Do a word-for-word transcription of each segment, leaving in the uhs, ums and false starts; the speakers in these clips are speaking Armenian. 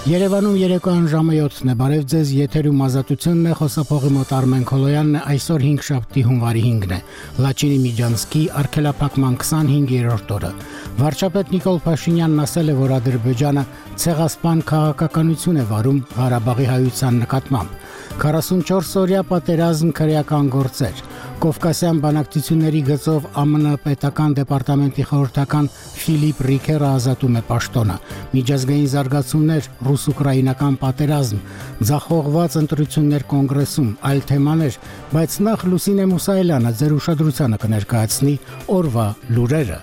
Երևանում երեկոյան ժամը յոթն է, բարև ձեզ, եթերում ազատությունն է, խոսափողի մոտ Արմեն Քոլոյանն է, այսօր հինգշաբթի հունվարի հինգն է, Լաչինի Միջանցքի արգելափակման քսանհինգերորդ օրը։ Վարչապետ Նիկոլ Փաշինյանն ասել է, որ Ադրբեջանը ցեղասպան քաղաքականություն է վարում Ղարաբաղի հայության նկատմամբ։ քառասունչորս օրյա պատերազմ քրեական գործեր։ Կովկասյան բանակցությունների գծով ԱՄՆ պետական դեպարտամենտի խորհրդական Ֆիլիպ Ռիքերը ազատում է պաշտոնը։ Միջազգային զարգացումներ, ռուս-ուկրաինական պատերազմ, ձախողված ընտրություններ կոնգրեսում, այլ թեմաներ, բայց նախ Լուսինե Մուսայելյանը ձեր ուշադրությանը կներկայացնի օրվա լուրերը։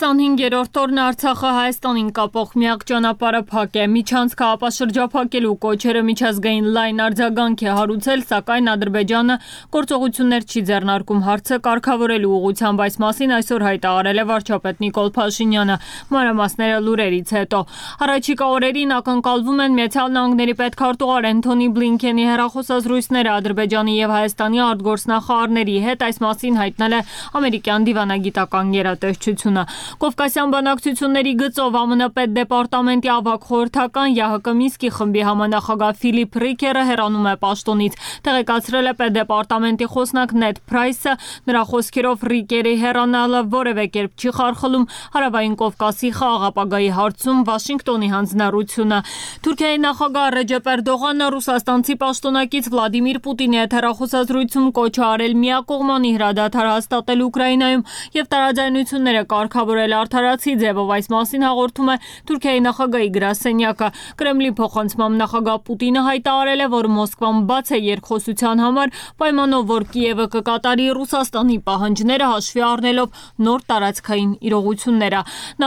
քսանհինգերորդ օրն Արցախը Հայաստանին կապող միակ ճանապարհը փակ է։ Միջանցքը ապաշրջափակելու կոչերը միջազգային լայն արձագանք է հարուցել, սակայն Ադրբեջանը գործողություններ չի ձեռնարկում հարցը կարգավորելու ուղղությամբ, այս մասին այսօր հայտարարել է վարչապետ Նիկոլ Փաշինյանը։ Մանրամասները լուրերից հետո։ Առաջիկա օրերին ակնկալվում են Միացյալ Նահանգների պետքարտուղար Էնթոնի Բլինքենի հեռախոսազրույցները Ադրբեջանի եւ Հայաստանի արտգործնախարարների հետ, այս մասին հայտնել է ամերիկյան դիվանագիտական գերատեսչությունը։ Կովկասյան բանակցությունների գծով ԱՄՆ պետդեպարտամենտի ավագ խորհրդական ԵԱՀԿ Մինսկի խմբի համանախագահ Ֆիլիպ Ռիքերը հեռանում է պաշտոնից, տեղեկացրել է պետդեպարտամենտի խոսնակ Նեդ Փրայսը, նրա խոսքերով Ռիկերի հեռանալը որևէ կերպ չի խարխլում Հարավային Կովկասի խաղաղապագայի հարցում Վաշինգտոնի հանձնառությունը։ Թուրքիայի նախագահ Ռեջեփ Էրդողանը ռուսաստանցի պաշտոնակից Վլադիմիր Պուտինի հետ հեռախոսազրույցում կոչ է արել միակողմանի հրադադար հաստատել Ուկրաինայում եւ տարաձայնությունները կարգավորել արդարացի ձևով, այս մասին հաղորդում է Թուրքիայի նախագահի գրասենյակը։ Կրեմլի փոխանցմամբ նախագահ Պուտինը հայտարարել է, որ Մոսկվան բաց է երկխոսության համար, պայմանով որ Կիևը կկատարի Ռուսաստանի պահանջները հաշվի առնելով նոր տարածքային իրողությունները։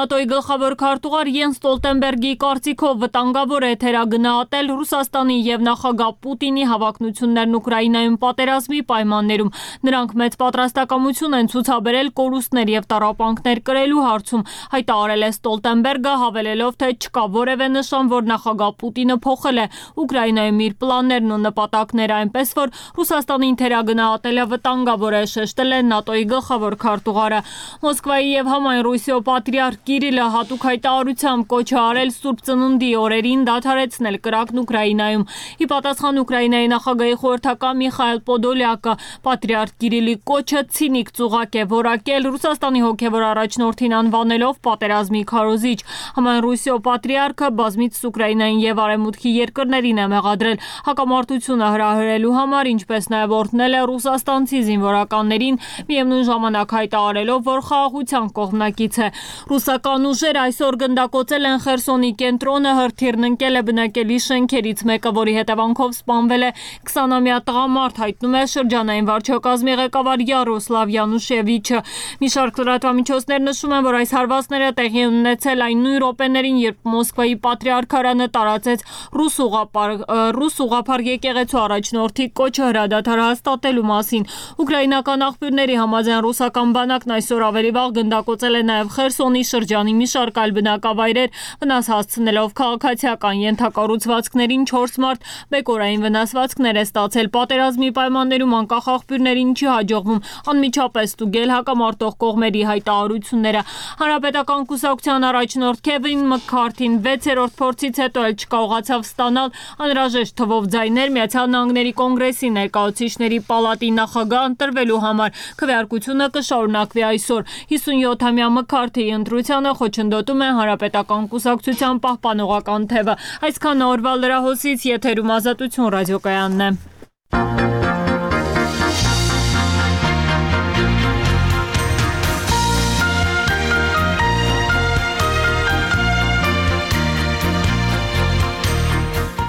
ՆԱՏՕ-ի գլխավոր քարտուղար Յենս Ստոլտենբերգի կարծիքով վտանգավոր է թերագնահատել Ռուսաստանի եւ նախագահ Պուտինի հավակնություններն Ուկրաինայում պատերազմի պայմաններում։ Նրանք մեծ պատրաստակամություն են ցուցաբերել կորուստներ եւ տառապանքներ կրելու հարցում, հայտարարել է Ստոլտենբերգը, հավելելով, թե չկա որևէ նշան, որ նախագահ Պուտինը փոխել է Ուկրաինայում իր պլաններն ու նպատակները, այնպես որ Ռուսաստանին թերագնահատելը վտանգավոր է, շեշտել է ՆԱՏՕ-ի գլխավոր քարտուղարը։ Մոսկվայի եւ համայն Ռուսիո պատրիարք Կիրիլը հատուկ հայտարարությամբ կոչ է արել Սուրբ Ծնունդի օրերին դադարեցնել կրակն Ուկրաինայում։ Ի պատասխան Ուկրաինայի նախագահի խորհրդական Միխայել Պոդոլյակը պատրիարք Կիրիլի կոչը ցինիկ ծուղակ է որակել, Ռուսաստանի հոգևոր առաջնորդին անվանելով պատերազմի քարոզիչ։ Համայն Ռուսիո պատրիարքը բազմից Ուկրաինային եւ Արևմուտքի երկրներին է մեղադրել հակամարտությունը հրահրելու համար, ինչպես նաեւ օրհնել է ռուսաստանցի զինվորականներին, միևնույն ժամանակ հայտարարելով, որ խաղաղության կողմնակից է։ Ռուսական ուժերը այսօր գնդակոծել են Խերսոնի կենտրոնը, հրթիռն ընկել է բնակելի շենքերից մեկը, որի հետևանքով սպանվել է քսանամյա տղամարդ, հայտնում է շրջանային վարչակազմի ղեկավար Յարոսլավ Յանուշևիչը։ Մի շարք լրատվամիջոցներ նշում են, որ այս հարվածները տեղի են ունեցել այն նույն րոպեներին, երբ Մոսկվայի պատրիարքարանը տարածեց ռուս ուղղափառ ռուս ուղղափառ եկեղեցու առաջնորդի կոչը հրադադար հաստատելու մասին։ Ուկրաինական աղբյուրների համաձայն ռուսական բանակն այսօր ավելի վաղ գնդակոծել է նաև Խերսոնի շրջանի մի շարք այլ բնակավայրեր, վնաս հասցնելով քաղաքացիական ենթակառուցվածքներին չորս մարդ, բեկորային վնասվածքներ է ստացել։ Պատերազմի պայմաններում անկախ աղբյուրներին չի հաջողվում անմիջապես ստուգել հակամարտող կողմերի հայտարարությունները։ Հանրապետական կուսակցության առաջնորդ Քևին Մքքարթին վեցերորդ փորձից հետո էլ չկարողացավ ստանալ անհրաժեշտ թվով ձայներ Միացյալ Նահանգների կոնգրեսի ներկայացուցիչների պալատի նախագահ ընտրվելու համար։ Քվեարկությունը կշարունակվի այսօր։ հիսունյոթամյա Մքքարթիի ընտրությանը խոչընդոտում է Հանրապետական կուսակցության պահպանողական թևը։ Այսքան օրվա լրահոսից, եթերում Ազատություն ռադիոկայանն է։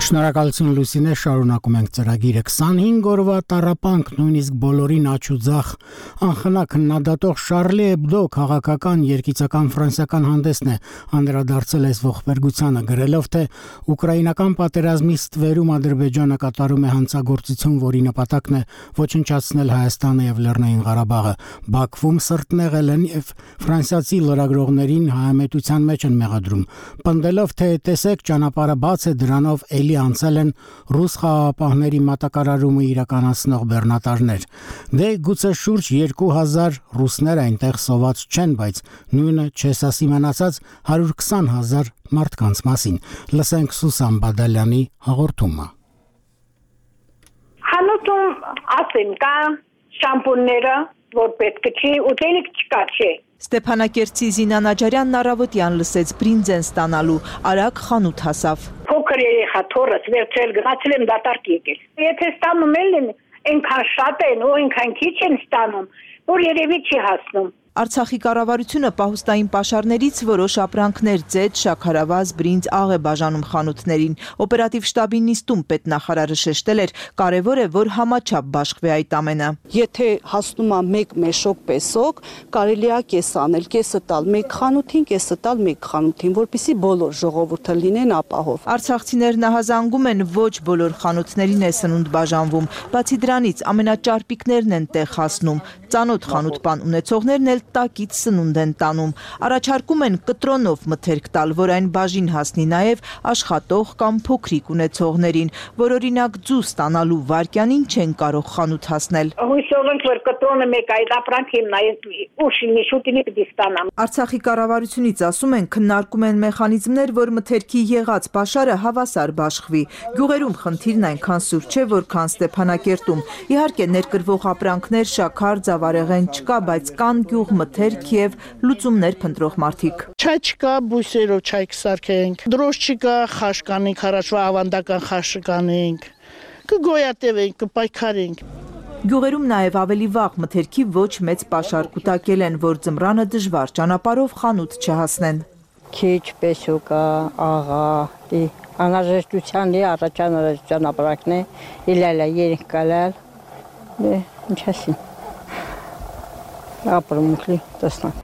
Շնորհակալություն Լուսինե, շարունակում ենք ծրագիրը։ քսանհինգ օրվա տառապանք, նույնիսկ բոլորին աչուձախ անխնա քննադատող Շարլի Էբդո քաղաքական երգիծական ֆրանսիական հանդեսն է անդրադարձել այս ողբերգությանը, գրելով, թե ուկրաինական պատերազմի ստվերում Ադրբեջանը կատարում է հանցագործություն, որի նպատակն է ոչնչացնել Հայաստանը եւ Լեռնային Ղարաբաղը։ Բաքվում սրտնեղել են եւ ֆրանսիացի լրագրողներին հայամետության մեջ են մեղադրում, պնդելով, թե տեսեք ճանապարհը բաց է, դրանով էլի անցել են ռուս խաղաղապահների մատակարարումը իրականացնող բեռնատարներ։ Դե գուցե շուրջ երկու հազար ռուսներ այնտեղ սոված չեն, բայց նույնը չես ասի մնացած հարյուր քսան հազար մարդկանց մասին։ Լսենք Սուսան Բադալյանի հաղորդումը։ Հանուտում ասեմ կա շամպունները, որ պետք չի, ուտելիք չկա, չէ։ Ստեփանակերտցի Զինա Նաջարյանն առավոտյան լսեց բրինձ են ստանալու, արագ խանութ հասավ։ Փոքր երեխա թորս վերցրել գնացել եմ դատարկ եկել։ Եթե ստանում են, այնքան շատ են ու այնքան քիչ են ստանում, որ երևի չի հասնում։ Արցախի կառավարությունը պահուստային պաշարներից որոշ ապրանքներ ձեթ, շաքարավազ, բրինձ, աղ է բաժանում խանութներին։ Օպերատիվ շտաբի նիստում պետնախարարը շեշտել էր, կարևոր է, որ համաչափ բաշխվի այդ ամենը։ Եթե հասնում է մեկ մեշոկ պեսոկ, կարելի է կես անել, կեսը տալ մեկ խանութին, կեսը տալ մեկ խանութին, որպեսզի բոլոր ժողովուրդը լինեն ապահով։ Արցախցիներն ահազանգում են, ոչ բոլոր խանութներին է սնունդ բաժանվում։ Բացի դրանից ամենաճարպիկներն են տեղ հասնում։ Ծանոթ խանութ-պան ունեցողներն էլ տակից սնունդ են տանում։ Առաջարկում են կտրոնով մթերք տալ, որ այն բաժին հասնի նաև աշխատող կամ փոքրիկ ունեցողներին, որ օրինակ ձու ստանալու վայրկյանին չեն կարող խանութ հասնել։ Հույսով ենք, որ կտրոնը մեկ այդ ապրանքին նայես ուշի շուտինի կդիստանամ։ Արցախի կառավարությունից ասում են, քննարկում են մեխանիզմներ, որ մթերքի եղած պաշարը հավասար բաշխվի։ Գյուղերում խնդիրն այնքան սուր չէ, որքան Ստեփանակերտում։ Իհարկե ներկրվող ապրանքներ, շաքար, ծավարեղեն չկա, բայց կան գյուղ մթերք եւ լուծումներ փնտրող մարդիկ։ Չայ չկա, բույսերով չայ կսարքենք։ Դրոշ չկա, խաշ կանենք, առաջվա ավանդական խաշը կանենք։ Կգոյատևենք, կպայքարենք։ Գյուղերում նաև ավելի վաղ մթերքի ոչ մեծ պաշար կուտակել են, որ ձմռանը դժվար ճանապարհով խանութ չհասնեն։ Քիչ պեսոկա, աղա, անհրաժեշտության լի առաջանալու ապրանքն է, իլալա երեք կալալ, ինչ ասին։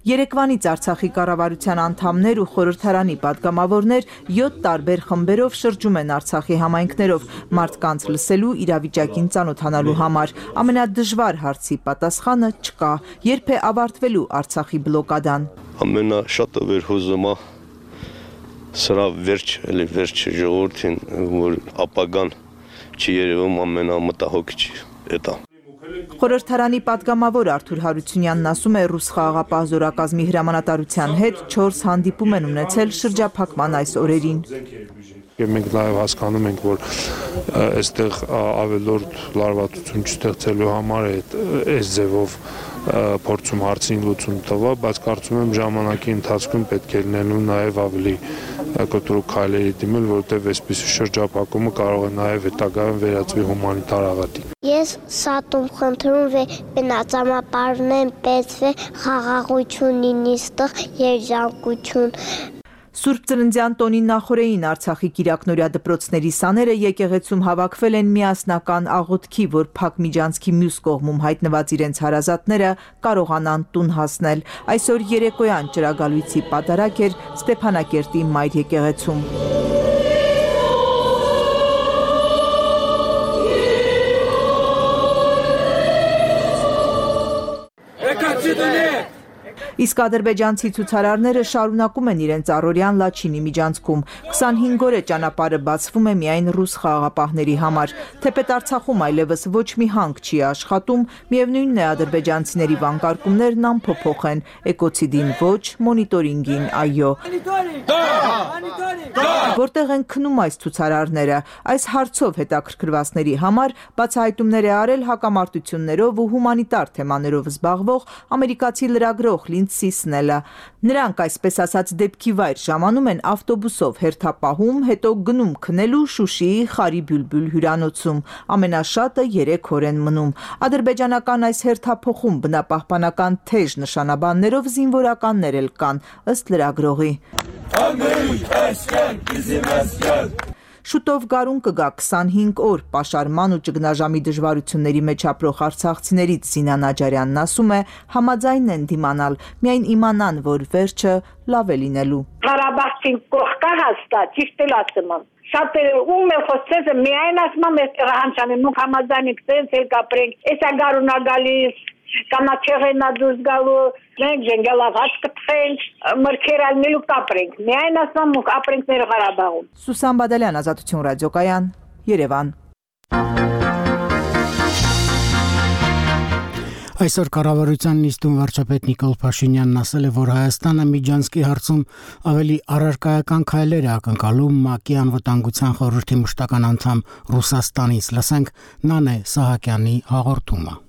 Երեկվանից Արցախի կառավարության անդամներ ու խորհրդարանի պատգամավորներ յոթ տարբեր խմբերով շրջում են Արցախի համայնքներով մարդկանց լսելու, իրավիճակին ծանոթանալու համար։ Ամենադժվար հարցի պատասխանը չկա, երբ է ավարտվելու Արցախի բլոկադան։ Ամենաշատը վերհուզումա սրա վերջ, էլի վերջ ժողովրդին, որ ապագան չի երևում ամենամտահոգիչ էտա։ Խորհրդարանի պատգամավոր Արթուր Հարությունյանն ասում է, ռուս խաղաղապահ զորակազմի հրամանատարության հետ չորս հանդիպում են ունեցել շրջափակման այս օրերին։ Մենք նաև հասկանում ենք, որ այստեղ ավելորդ լարվածություն չստեղծելու համար է այս ձևով փորձում հարցին լուծում տվա, բայց կարծում եմ ժամանակի ընթացքում պետք է լինելու նաև ավելի կտրուկ քայլերի դիմել, որովհետև այսպիսի շրջափակումը կարող է նաև հետագայում վերածվի հումանիտար աղետի։ Ես սատում խնդրում եմ բնածամապարներն պետք է խաղաղություն լինի, ստեղ երջանկություն։ Սուրբ Ծննդյան տոնի նախօրեին Արցախի Կիրակնորյա դպրոցների սաները եկեղեցում հավաքվել են միասնական աղոթքի, որ Փակ Միջանցքի մյուս կողմում հայտնված իրենց հարազատները կարողանան տուն հասնել։ Այսօր երեկոյան ճրագալույցի պատարակ էր Ստեփանակերտի Մայր եկեղեցում։ Իսկ ադրբեջանցի ցուցարարները շարունակում են իրենց առօրյան Լաչինի միջանցքում։ քսանհինգ օր է ճանապարհը բացվում է միայն ռուս խաղաղապահների համար։ Թեպետ Արցախում այլևս ոչ մի հանք չի աշխատում, միևնույնն է ադրբեջանցիների վանկարկումներն անփոփոխ են։ Էկոցիդին ոչ, մոնիտորինգին այո։ Որտեղ են քնում այս ցուցարարները։ Այս հարցով հետաքրքրվածների համար բացահայտումներ է արել հակամարտություններով ու հումանիտար թեմաներով զբաղվող ամերիկացի լրագրող Լինդսի Սնելը։ Նրանք այսպես ասած դեպքի վայր ժամանում են ավտոբուսով հերթապահում, հետո գնում քնելու Շուշիի Խարի Բյուլբյուլ հյուրանոցում։ Ամենաշատը երեք օր են մնում։ Ադրբեջանական այս հերթափոխում բնապահպանական թեժ նշանաբաններով զինվորականներ էլ կան, ըստ լրագրողի։ Շուտով գարուն կգա քսանհինգ օր պաշարման ու ճգնաժամի դժվարությունների մեջ ապրող արցախցիներից Զինա Նաջարյանն ասում է, համաձայն են դիմանալ, միայն իմանան, որ վերջը լավ է լինելու։ Ղարաբաղցին կողքա հաստատ, ճիշտ էլ ասում եմ։ Շատ ում է խոսեցը միայն ասում եմ այստեղ հանցանին, մուք համաձայն ենք տենց էլ կապրենք, էսա գարունա գալիս, կանաչեղենա դուրս գալու, մենք ժենգալավաց կտխենք, մրգեր ալնելու կապրենք։ Միայն ասում ենք ապրենք մեր Ղարաբաղում։ Սուսան Բադալյան, Ազատություն ռադիոկայան, Երևան։ Այսօր կառավարության նիստում վարչապետ Նիկոլ Փաշինյանն ասել է, որ Հայաստանը Միջանցքի հարցում ավելի առարկայական քայլեր է ակնկալում ՄԱԿ-ի անվտանգության խորհրդի մշտական անդամ Ռուսաստանից։ Լսենք Նանե Սահակյանի հաղորդումը։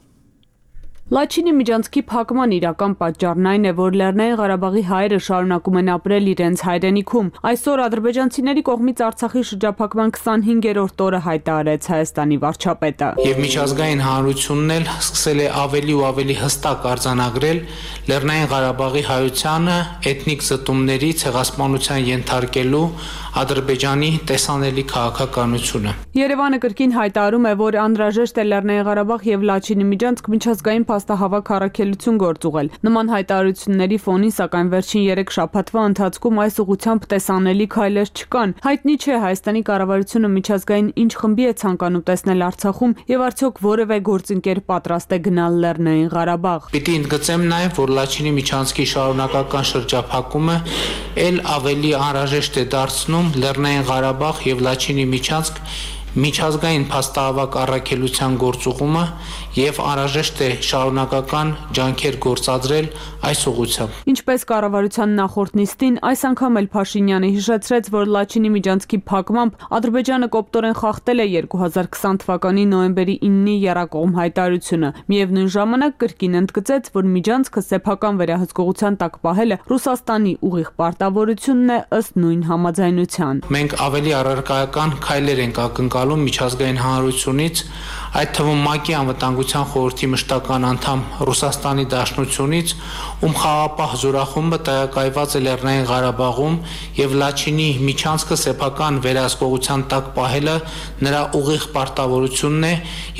Լաչինի միջանցքի փակման իրական պատճառն այն է, որ Լեռնային Ղարաբաղի հայերը շարունակում են ապրել իրենց հայրենիքում։ Այսօր ադրբեջանցիների կողմից Արցախի շրջափակման քսանհինգերորդ օրը հայտարարեց Հայաստանի վարչապետը։ Եվ միջազգային հանրությունն էլ սկսել է ավելի ու ավելի հստակ արձանագրել Լեռնային Ղարաբաղի հայությանը էթնիկ զտումների ցեղասպանության ենթարկելու Ադրբեջանի տեսանելի քաղաքականությունը։ Երևանը կրկին հայտարարում է, որ անհրաժեշտ է Լեռնային Ղարաբաղ եւ Լաչինի միջանցք միջազգային փաստահավաք առաքելություն գործուղել։ Նման հայտարարությունների ֆոնին, սակայն վերջին երեք շաբաթվա ընթացքում այս ուղղությամբ տեսանելի քայլեր չկան։ Հայտնի չէ Հայաստանի կառավարությունը միջազգային ինչ խմբի է ցանկանում տեսնել Արցախում եւ արդյոք որևէ գործընկեր պատրաստ է գնալ Լեռնային Ղարաբաղ։ Պիտի ընդգծեմ նաեւ, որ Լաչինի միջանցքի շարունակական շրջափակումը ել ավելի անհրաժեշտ է դարձնում Լեռնային Ղարաբաղ եւ Լաչինի միջանցք միջազգային փաստահավաք առաքելության գործուղումը եւ անհրաժեշտ է շարունակական ջանքեր գործադրել այս ուղղությամբ։ Ինչպես կառավարության նախորդ նիստին, այս անգամ էլ Փաշինյանը հիշեցրեց, որ Լաչինի միջանցքի փակմամբ Ադրբեջանը կոպտորեն խախտել է երկու հազար քսան թվականի նոյեմբերի իննի եռակողմ հայտարարությունը։ Միևնույն ժամանակ կրկին ընդգծեց, որ միջանցքը սեփական վերահսկողության տակ պահելը Ռուսաստանի ուղիղ պարտավորությունն է ըստ նույն համաձայնության։ Մենք ավելի առարկայական քայլեր ենք ակնկալում միջազգային հանրությունից, այդ թվում ՄԱԿ-ի անվտանգության խորհրդի մշտական անդամ Ռուսաստանի Դաշնությունից, ում խաղապահ զորախումբը տեղակայված է Լեռնային Ղարաբաղում եւ Լաչինի միջանցքը սեփական վերահսկողության տակ պահելը նրա ուղիղ պարտավորությունն է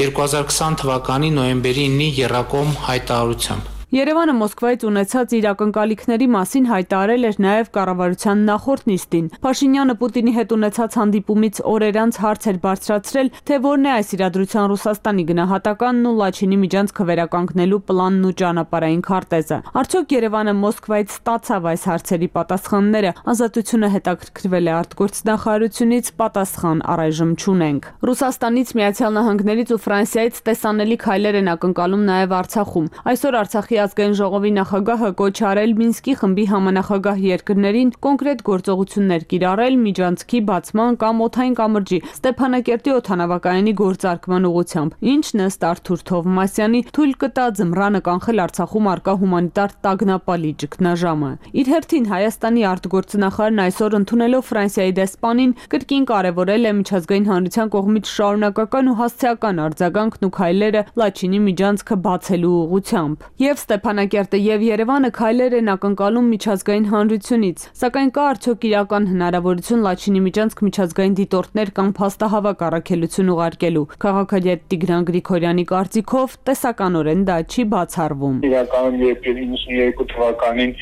երկու հազար քսան թվականի նոյեմբերի իննի եռակողմ հայտարարությամբ։ Երևանը Մոսկվայից ունեցած իր ակնկալիքների մասին հայտարարել էր նաև կառավարության նախորդ նիստին։ Փաշինյանը Պուտինի հետ ունեցած հանդիպումից օրեր անց հարց էր բարձրացրել, թե որն է այս իրադրության Ռուսաստանի գնահատականն ու Լաչինի միջանցքը վերականգնելու պլանն ու ճանապարհային քարտեզը։ Արդյոք Երևանը Մոսկվայից ստացավ այս հարցերի պատասխանները։ Ազատությունը հետաքրքրվել է արտգործնախարարությունից, պատասխան առայժմ չունենք։ Ռուսաստանից, Միացյալ Նահանգներից ու Ֆրանսիայից տեսանելի քայլեր են ակնկալում նաև Արցախում։ Այսօր Արցախի ազգային ժողովի նախագահը կոչ արել Մինսկի խմբի համանախագահ երկրներին կոնկրետ գործողություններ կիրառել միջանցքի բացման կամ օդային կամրջի Ստեփանակերտի օդանավակայանի գործարկման ուղղությամբ, ինչն ըստ Արթուր Թովմասյանի թույլ կտա ձմռանը կանխել Արցախում արկա հումանիտար տագնապալի ճգնաժամը։ Իր հերթին Հայաստանի արտգործնախարարն այսօր ընդունելով Ֆրանսիայի դեսպանին կրկին կարևորել է միջազգային հանրության կողմից շարունակական ու հասցեական արձագանքն ու քայլերը Լաչինի միջանցքը բացելու ուղղությամբ։ Եվ Ստեփանակերտը եւ Երևանը քայլեր են ակնկալում միջազգային հանրությունից, սակայն կա արդյոք իրական հնարավորություն Լաչինի միջանցք միջազգային դիտորդներ կամ փաստահավաք առաքելություն ուղարկելու։ Քաղաքագետ Տիգրան Գրիգորյանի կարծիքով տեսականորեն դա չի բացառվում։ Իրականում երբ իննսուններկու թվականին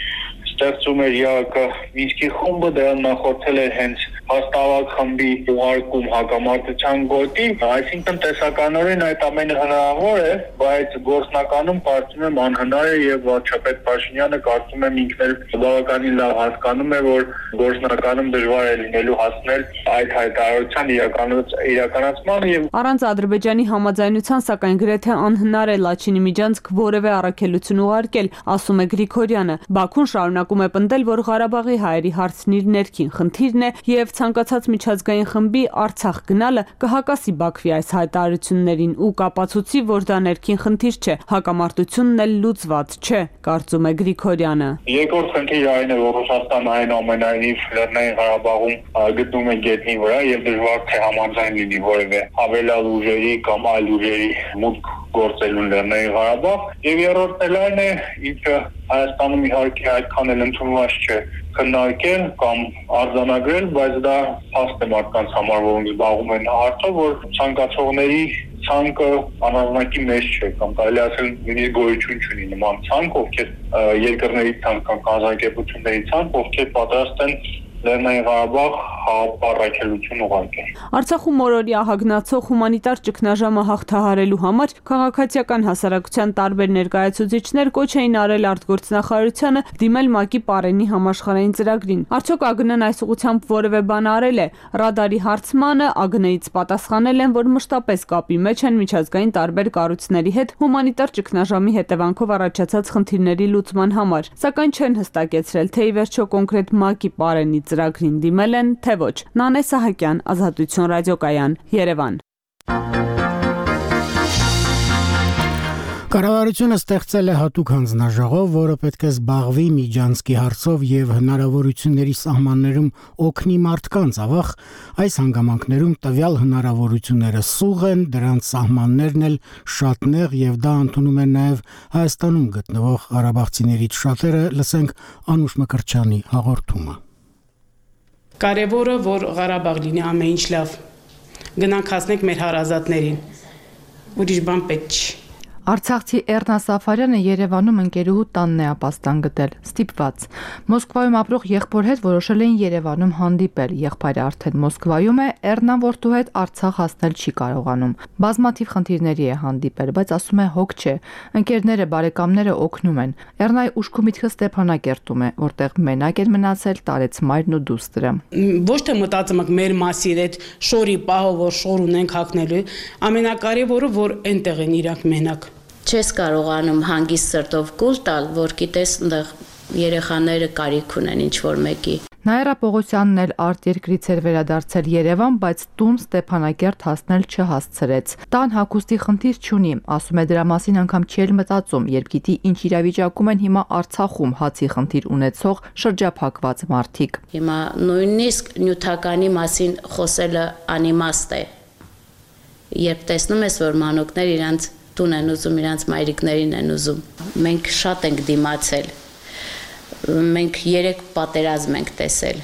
ստեղծում էր ԵԱԿ Մինսկի խումբը, դրան նախորդել էր հենց հաստավակ խմբի ուղարկում հակամարտության գոտի, այսինքն տեսականորեն այդ ամենը հնարավոր է, բայց գործնականում կարծում եմ անհնար է եւ վարչապետ Փաշինյանը կարծում եմ ինքն էլ բավականին լավ հասկանում է, որ գործնականում դժվար է լինելու հասնել այդ հայտարարության իրականացման եւ առանց Ադրբեջանի համաձայնության, սակայն գրեթե անհնար է Լաչինի միջանցք որևէ առաքելություն ուղարկել, ասում է Գրիգորյանը։ Բաքուն շարունակում է պնդել, որ Ղարաբաղի հայերի հարցն իր ներքին խնդիրն է եւ ցանկացած միջազգային խմբի Արցախ գնալը կհակասի Բաքվի այս հայտարարություններին ու կապացուցի, որ դա ներքին խնդիր չէ, հակամարտությունն էլ լուծված չէ, կարծում է Գրիգորյանը։ Երկրորդ խնդիրը այն է, որ Ռուսաստանը այնուամենայնիվ Լեռնային Ղարաբաղում գտնում է գետնի վրա եւ դժվար թե համաձայն լինի որևէ հավելյալ ուժերի կամ այլ ուժերի մուտք գործելուն Լեռնային Ղարաբաղ։ Եվ երրորդն էլ այն է, ինչը Հայաստանում իհարկե այդքան էլ ընդունված չէ քննարկել կամ արձանագրել, բայց դա հաստ է մարդկանց համար, որոնք զբաղվում են հարցով, որ ցանկացողների ցանկը անհրաժեշտի մեջ չէ կամ կարելի ասել նույնիսկ գոյություն չունի նման ցանկ, ովքեր երկրների ցանկ կամ կազմակերպությունների ցանկ, ովքեր պատրաստ են Լեռնային Ղարաբաղ հապարակելություն ուղարկել։ Արցախում մորօրյա հագնացող հումանիտար ճգնաժամը հաղթահարելու համար քաղաքացիական հասարակության տարբեր ներկայացուցիչներ կոչ էին արել արտգործնախարարությանը դիմել ՄԱԿ-ի Պարենի համաշխարհային ծրագրին։ Արդյոք ԱԳՆ-ն այս ուղղությամբ որևէ բան արել է։ Ռադարի հարցմանը ԱԳՆ-ից պատասխանել են, որ մշտապես կապի մեջ են միջազգային տարբեր կառույցների հետ հումանիտար ճգնաժամի հետևանքով առաջացած խնդիրների լուծման համար, սակայն չեն հստակեցրել, թե ի վերջո կոնկրետ ՄԱԿ-ի Պարենի ծրագրին դիմել են, թե ոչ։ Նանե Սահակյան, Ազատություն ռադիոկայան, Երևան։ Կառավարությունը ստեղծել է հատուկ հանձնաժողով, որը պետք է զբաղվի Միջանցքի հարցով եւ հնարավորությունների սահմաններում օգնի մարդկանց, ավաղ այս հանգամանքներում տվյալ հնարավորությունները սուղ են, դրանց սահմաններն էլ շատ նեղ եւ դա ընդունում են նաեւ Հայաստանում գտնվող ղարաբաղցիներից շատերը, լսենք Անուշ Մկրտչյանի հաղորդումը։ Կարևորը, որ Ղարաբաղ լինի ամեն ինչ լավ։ Գնանք հասնենք մեր հարազատներին։ Ուրիշ բան պետք չի։ Արցախցի Էռնա Սաֆարյանը Երևանում ընկերուհու տանն է ապաստան գտել, ստիպված։ Մոսկվայում ապրող եղբոր հետ որոշել էին Երևանում հանդիպել, եղբայրը արդեն Մոսկվայում է, Էռնան որդու հետ Արցախ հասնել չի կարողանում։ Բազմաթիվ խնդիրների է հանդիպել, բայց ասում է հոգ չէ, ընկերները, բարեկամները օգնում են։ Էռնայի ուշքու միտքը Ստեփանակերտում է, որտեղ մենակ են մնացել տարեց մայրն ու դուստրը։ Ոչ թե մտածում եք մեր մասին այդ շորի պահով, որ շոր ունենք հագնելու, ամենակարևորը, որ այնտեղ են իրանք մենակ։ Չես կարողանում հանգիստ սրտով կուլ տալ, որ գիտես այնտեղ երեխաները կարիք ունեն ինչ-որ մեկի։ Նաիրա Պողոսյանն էլ արտերկրից էր վերադարձել Երևան, բայց տուն Ստեփանակերտ հասնել չհասցրեց։ Տան հագուստի խնդիր չունի, ասում է դրա մասին անգամ չի էլ մտածում, երբ գիտի ինչ իրավիճակում են հիմա Արցախում հացի խնդիր ունեցող շրջափակված մարդիկ։ Հիմա նույնիսկ նյութականի մասին խոսելը անիմաստ է։ Երբ տեսնում ես, որ մանուկներ իրանց տուն են ուզում, իրանց մայրիկներին են ուզում։ Մենք շատ ենք դիմացել, մենք երեք պատերազմ ենք տեսել,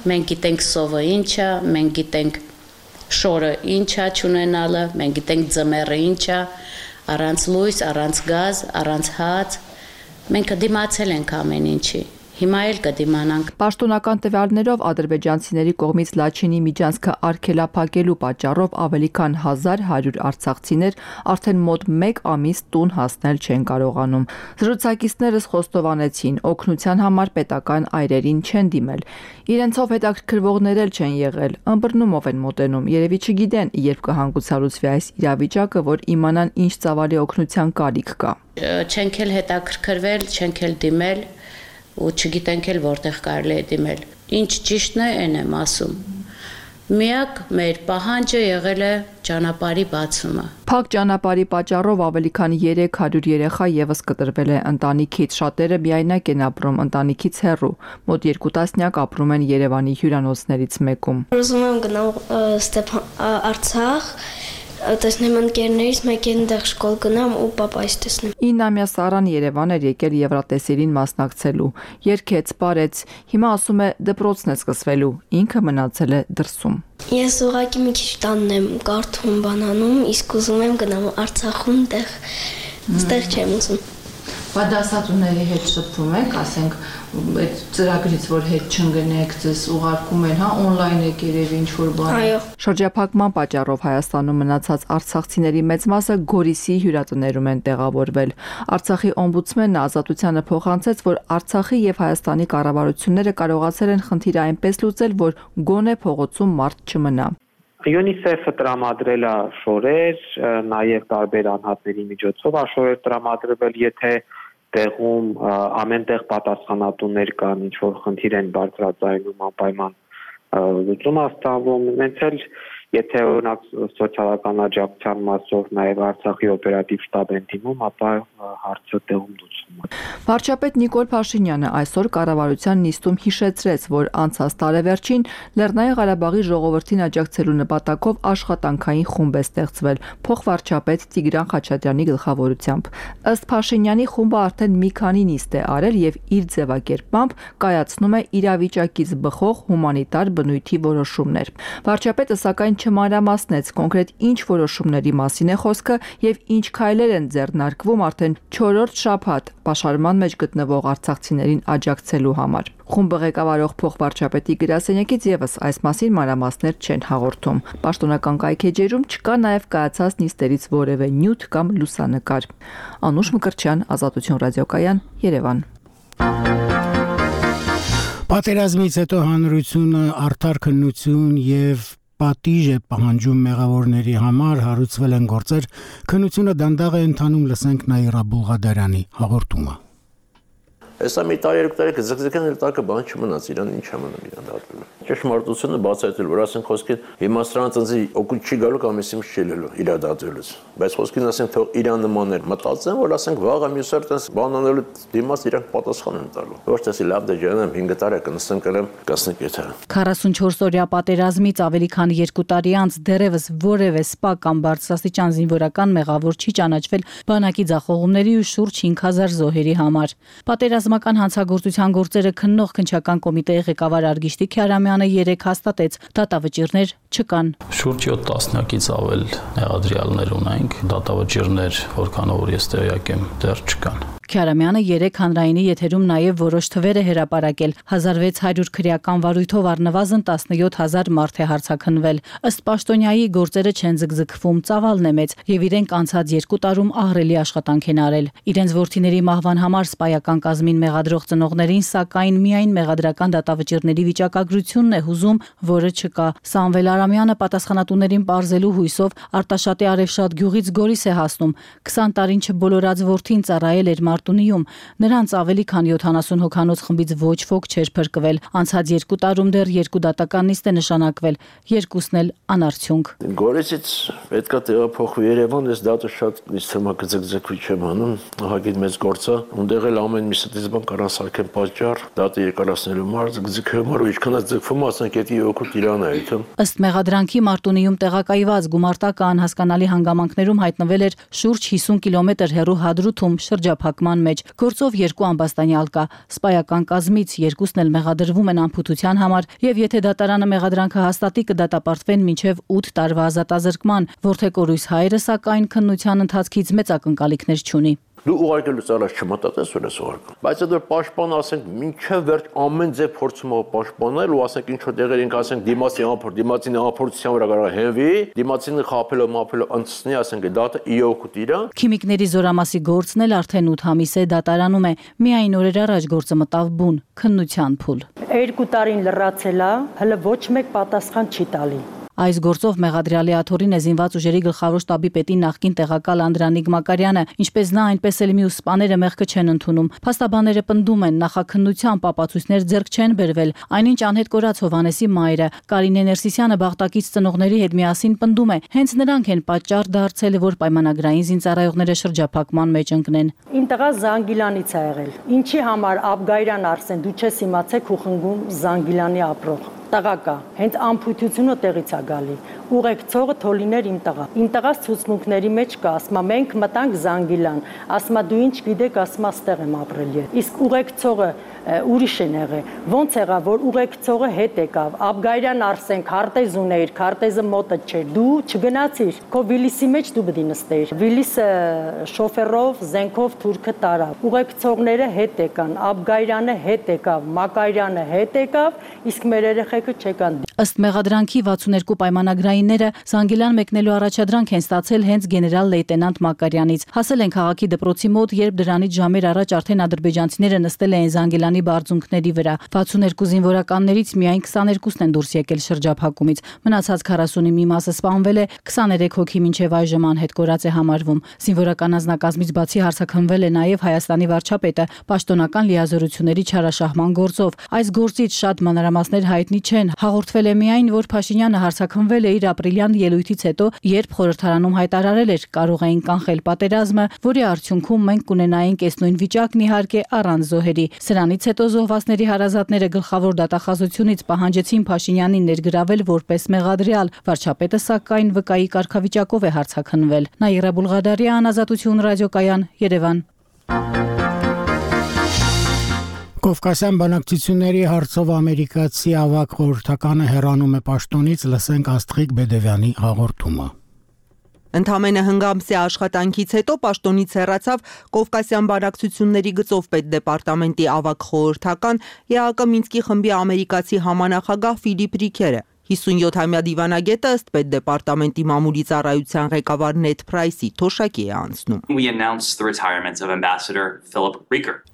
մենք գիտենք սովը ինչ է, մենք գիտենք շորը ինչ է չունենալը, մենք գիտենք ձմեռը ինչ է, առանց լույս, առանց գազ, առանց հաց, մենք դիմացել ենք ամեն ինչի։ Հիմա էլ կդիմանանք։ Պաշտոնական տվյալներով ադրբեջանցիների կողմից Լաչինի Միջանցքը արգելափակելու պատճառով ավելի քան հազար հարյուր արցախցիներ արդեն մոտ մեկ ամիս տուն հասնել չեն կարողանում։ Զրուցակիցներս խոստովանեցին, օգնության համար պետական այրերին չեն դիմել։ Իրենցով հետաքրքրվողներ էլ չեն եղել, ըմբռնումով են մոտենում, երևի չգիտեն, երբ կհանգուցալուծվի այս իրավիճակը, որ իմանան ինչ ծավալի օգնության կարիք կա։ Չենք էլ հետաքրքրվել, չենք էլ դիմել ու չգիտենք էլ որտեղ կարելի է դիմել։ Ինչ ճիշտն է, այն եմ ասում։ Միակ մեր պահանջը եղել է ճանապարհի բացումը։ Փակ ճանապարհի պատճառով ավելի քան երեք հարյուր երեխա եւս կտրվել է ընտանիքից, շատերը միայնակ են ապրում ընտանիքից հեռու, մոտ երկու տասնյակ ապրում են Երևանի հյուրանոցներից մեկում։ Ուզում եմ գնալ Ստեփան Արցախ, տեսնեմ ընկերներից մեկին դեղ շկոլ գնամ ու պապայից տեսնեմ։ իննամյա Սարան Երևան էր եկել Եվրատեսիլին մասնակցելու, երգեց, պարեց, հիմա ասում է դպրոցն է սկսվելու, ինքը մնացել է դրսում։ Ես ուղղակի մի քիչ տանն եմ կարդում բանանում, իսկ ուզում եմ գնամ Արցախում տեղ, ստեղ չեմ ուզում։ Բա դասատուների հետ շփվում եք, ասենք, այդ ծրագրից որ հետ չընկնեք, ձեզ ուղարկում են, հա, on-line եք երևի ինչ-որ բան։ Այո։ Շրջափակման պատճառով Հայաստանում մնացած արցախցիների մեծ մասը Գորիսի հյուրատներում են տեղավորվել։ Արցախի օմբուդսմենը Ազատությանը փոխանցեց, որ Արցախի եւ Հայաստանի կառավարությունները կարողացել են խնդիրը այնպես լուծել, որ գոնե փողոցում մարդ չմնա։ ՅՈՒՆԻՍԵՖ-ը տրամադրել է շորեր, նաև տարբեր անհատների միջոցով շորեր տրամադրվել, եթե տեղում ամենտեղ պատասխանատուներ կան, ինչ որ խնդիր են բարձրաձայնում, անպայման լուծում է ստանվում։ Մենք էլ եթե օրինակ սոցիալական աջակցության մասով նաև Արցախի օպերատիվ շտաբ են դիմում, ապա հարցը տեղում լուծվում է։ Վարչապետ Նիկոլ Փաշինյանը այսօր կառավարության նիստում հիշեցրեց, որ անցած տարեվերջին Լեռնային Ղարաբաղի ժողովրդին աջակցելու նպատակով աշխատանքային խումբ է ստեղծվել փոխվարչապետ Տիգրան Խաչատրյանի գլխավորությամբ։ Ըստ Փաշինյանի խումբը արդեն մի քանի նիստ է արել եւ իր ձևակերպմամբ կայացնում է իրավիճակից բխող հումանիտար բնույթի որոշումներ։ Վարչապետը սակայն չմանրամասնեց կոնկրետ ինչ որոշումների մասին է խոսքը եւ ինչ քայլեր են ձեռնարկվում արդեն չորրորդ շաբաթ պաշարման մեջ գտնվող արցախցիներին աջակցելու համար։ Խումբը ղեկավարող փոխվարչապետի գրասենյակից եւս այս մասին մանրամասներ չեն հաղորդում։ Պաշտոնական կայքեջերում չկա նաեւ կայացած նիստերից որևէ նյութ կամ լուսանկար։ Անուշ Մկրտչյան, Ազատություն ռադիոկայան, Երևան։ Պատերազմից հետո հանրությունը արդար քննություն եւ պատիժ է պահանջում մեղավորների համար, հարուցվել են գործեր, քննությունը դանդաղ է ընթանում, լսենք Նաիրա Բուլղադարյանի հաղորդումը։ Հեսա մի տարի երկու տարի կզգզգեն էլ տակը բան չմնաց, իրան ինչ ամնում իրան դատվելու։ Ճշմարտությունը բացահայտել, որ ասենք խոսքին հիմա սրանց ընձի օգուտ չի գալու կամ էսի չի լելու իր դատվելուց։ Բայց խոսքին ասենք թող իրան նմաններ մտածեն, որ ասենք վաղը մյուսը տես բան անելու դիմաց իրանք պատասխան են տալու։ Ոչ տեսի լավ դե ջանեմ հինգ տարի կնստեմ կլեմ կասնիկ եթե։ քառասունչորս օրյա պատերազմից ավելի քան երկու տարի անց դեռևս որևէ սպա կամ բարձրաստիճան զինվորական մեղավոր չի ճանաչվել բանակի ձախողումների ու շուրջ հինգ հազար զոհերի համար։ Պատերազմական հանցագործության գործերը քննող քննչական կոմիտեի ղեկավար Արգիշտի Քյարամյանը երեկ հաստատեց, դատավճիռներ չկան։ Շուրջ յոթ տասնյակից ավել մեղադրյալներ ունենք, դատավճիռներ, որքանով որ ես տեղյակ եմ, դեռ չկան։ Քյարամյանը երեկ հանրայինի եթերում նաև որոշ թվեր է հրապարակել։ հազար վեց հարյուր քրեական վարույթով առնվազն տասնյոթ հազար մարդ է հարցաքննվել։ Ըստ պաշտոնյայի գործերը չեն զգզգվում, ծավալն է մեծ եւ իրենք անցած երկու տարում ահռելի աշխատանք են արել։ Իրենց որդիների մահվան համար սպայական կազմին մեղադրող ծնողներին սակայն միայն մեղադրական դատավճիռների վիճակագրությունն է հուզում, որը չկա։ Սամվել Արամյանը պատասխանատուներին պարզելու հույսով Արտաշատի Արևշատ գյուղից Գորիս է հասնում։ քսան տարին չբոլորած որդին ծառայել էր Մարտունիում, նրանց ավելի քան յոթանասուն հոգանոց խմբից ոչ ոք չէր փրկվել։ Անցած երկու տարում դեռ երկու դատական նիստ է նշանակվել, երկուսն էլ անարդյունք։ Գորիսից պետքա տեղափոխվի Երևան, ես դատը շատ նիստամակցակցի չեմ անում, ահագին մեծ գործ է, ունդեղ էլ ամեն մի ստից բան կարան սարքեն պատճառ, դատը երկարացնելու մարդ, ձգձգում ու ինչքանაც ձգվում, ասենք էդի օգուտ իրան է այդում։ Ըստ մեղադրանքի Մարտունիում տեղակայված գումարտակը անհասկանալի հանգամանքներում հայտնվել էր շուրջ հիսուն կիլոմետր հեռու Հադրութում շրջափակման մեջ։ Գործով երկու ամբաստանյալ կա։ Սպայական կազմից երկուսն էլ մեղադրվում են անփութության համար եւ եթե դատարանը մեղադրանքը հաստատի կդատապարտվեն մինչեւ ութ տարվա ազատազրկման։ Որդեկորույս հայրը սակայն քննության ընթացքից մեծ ակնկալիքներ չունի։ Դու ուղարկելուց առաջ չմտածես որ ես ուղարկում։ Բայց այդ որ պաշտպան ասենք մինչև վերջ ամեն ձև փորձում ա պաշտպանել ու ասենք ինչ որ տեղեր ենք ասենք դիմացի անփոր, դիմացին անփորձության վրա կարող հենվի, դիմացին խափելով, մափելով անցնի ասենք դատը իօգուտ իրա։ Քիմիկների զորամասի գործն էլ արդեն ութ ամիս է դատարանում է։ Միայն օրեր առաջ գործը մտավ բուն, քննության փուլ։ Երկու տարին լրացել է, հələ ոչ մեկ պատասխան չի տալի։ Այս գործով մեղադրյալի աթոռին է զինված ուժերի գլխավոր շտաբի պետի նախկին տեղակալ Անդրանիկ Մակարյանը, ինչպես նա, այնպես էլ մյուս սպաները մեղքը չեն ընդունում։ Փաստաբանները պնդում են, նախաքննության ապացույցներ ձեռք չեն բերվել, այնինչ անհետ կորած Հովանեսի մայրը Կարինե Ներսիսյանը Բաղդակից ծնողների հետ միասին պնդում է, հենց նրանք են պատճառ դարձել, որ պայմանագրային զինծառայողները շրջափակման մեջ ընկնեն։ Իմ տղա Զանգիլանից է եղել։ Ինչի համար Աբգայրան Արսեն, դու չես իմացեք ու խնգում Զանգիլանի ապրող։ Տղա կա, հենց ամփութությունը տեղից է գալի։ Ուղեկցողը թոլիներ իմ տղա։ Իմ տղաս ցուցմունքների մեջ կա, ասма մենք մտանք Զանգիլան, ասма դու ինչ գիտեք, ասма ստեղ եմ ապրել։ Իսկ ուղեկցողը ուրիշ են եղել։ Ոնց եղավ, որ ուղեկցողը հետ եկավ։ Աբգայրյան Արսեն քարտեզ ուներ, քարտեզը մոտը չէր։ Դու չգնացիր, քո Վիլիսի մեջ դու պետք է նստեիր։ Վիլիսը շոֆերով, զենքով թուրքը տարավ։ Ուղեկցողները հետ եկան, Աբգայրյանը հետ եկավ, Մակարյանը հետ եկավ, իսկ մեր երեխեքը չեկան։ Ըստ մեղադրանքի վաթսուներկու պայմանագրայինները Զանգիլան մեկնելու առաջադրանք են ստացել հենց գեներալ լեյտենանտ Մակարյանից։ Հասել են քաղաքի դպրոցի մոտ, երբ դրանից ժամեր առաջ արդեն ադրբեջանցիները նստել էին Զանգիլանի բարձունքների վրա։ վաթսուներկու զինվորականներից միայն քսաներկուսն են դուրս եկել շրջափակումից։ Մնացած քառասունի մի մասը սպանվել է, քսաներեք հոգի մինչև այժմ անհետ կորած է համարվում։ Զինվորական անձնակազմից բացի հարցաքննվել է նաև Հայաստանի վարչապետը պաշտոնական լիազորությունների չարաշահման գործով։ Այս գործից շատ մանրամասներ հայտնի չեն։ Հաղորդվել է միայն, որ Փաշինյանը հարցաքննվել է իր ապրիլյան ելույթից հետո, երբ խորհրդարանում հայտարարել էր կարող էին կանխել պատերազմը, որի արդյունքում մենք կունենայինք այս նույն վիճակն իհարկե առանց զոհերի։ Սրանից հետո զոհվածների հարազատները գլխավոր դատախազությունից պահանջեցին Փաշինյանին ներգրավել որպես մեղադրյալ։ Վարչապետը սակայն վկայի կարգավիճակով է հարցաքննվել։ Նաիրա Բուլղադարյան, Ազատություն ռադիոկայան, Երևան։ Կովկասյան բանակցությունների հարցով ամերիկացի ավագ խորհրդականը հեռանում է պաշտոնից, լսենք Աստղիկ Բեդևյանի հաղորդումը։ Ընդամենը հնգամսյա աշխատանքից հետո պաշտոնից հեռացավ Կովկասյան բանակցությունների գծով պետդեպարտամենտի ավագ խորհրդական Է Հ Կ Մինսկի խմբի ամերիկացի համանախագահ Ֆիլիպ Ռիքերը։ հիսունյոթամյա դիվանագետը ըստ պետդեպարտամենտի մամուլի ծառայության ղեկավար Նեդ Փրայսի թոշակի է անցնում։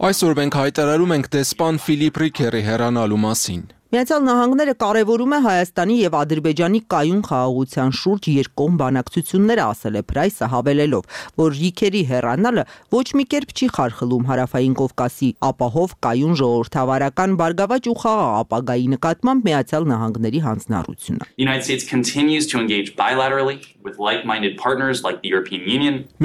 Այսօր մենք հայտարարում ենք դեսպան Ֆիլիպ Ռիքերի հեռանալու մասին։ Միացյալ Նահանգները կարևորում է Հայաստանի եւ Ադրբեջանի կայուն խաղաղության շուրջ երկկողմ բանակցությունները, ասել է Փրայսը, հավելելով, որ Ռիքերի հեռանալը ոչ մի կերպ չի խարխլում Հարավային Կովկասի ապահով կայուն ժողովրդավարական բարգավաճ ու խաղաղ ապագայի նկատմամբ Միացյալ Նահանգների հանձնառությունը։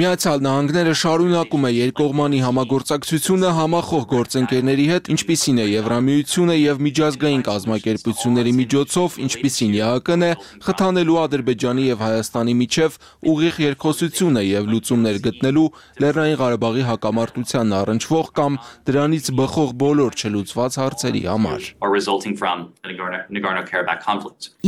Միացյալ Նահանգները շարունակում է երկկողմանի համագործակցությունը համախոհ գործընկերների հետ, ինչպիսին է Եվրամիությունը եւ միջազգային կազմակերպությունների միջոցով, ինչպիսին Է Հ Կ-ն է, խթանելու Ադրբեջանի եւ Հայաստանի միջև ուղիղ երկխոսությունը եւ լուծումներ գտնելու Լեռնային Ղարաբաղի հակամարտությանն առնչվող կամ դրանից բխող բոլոր չլուծված հարցերի համար։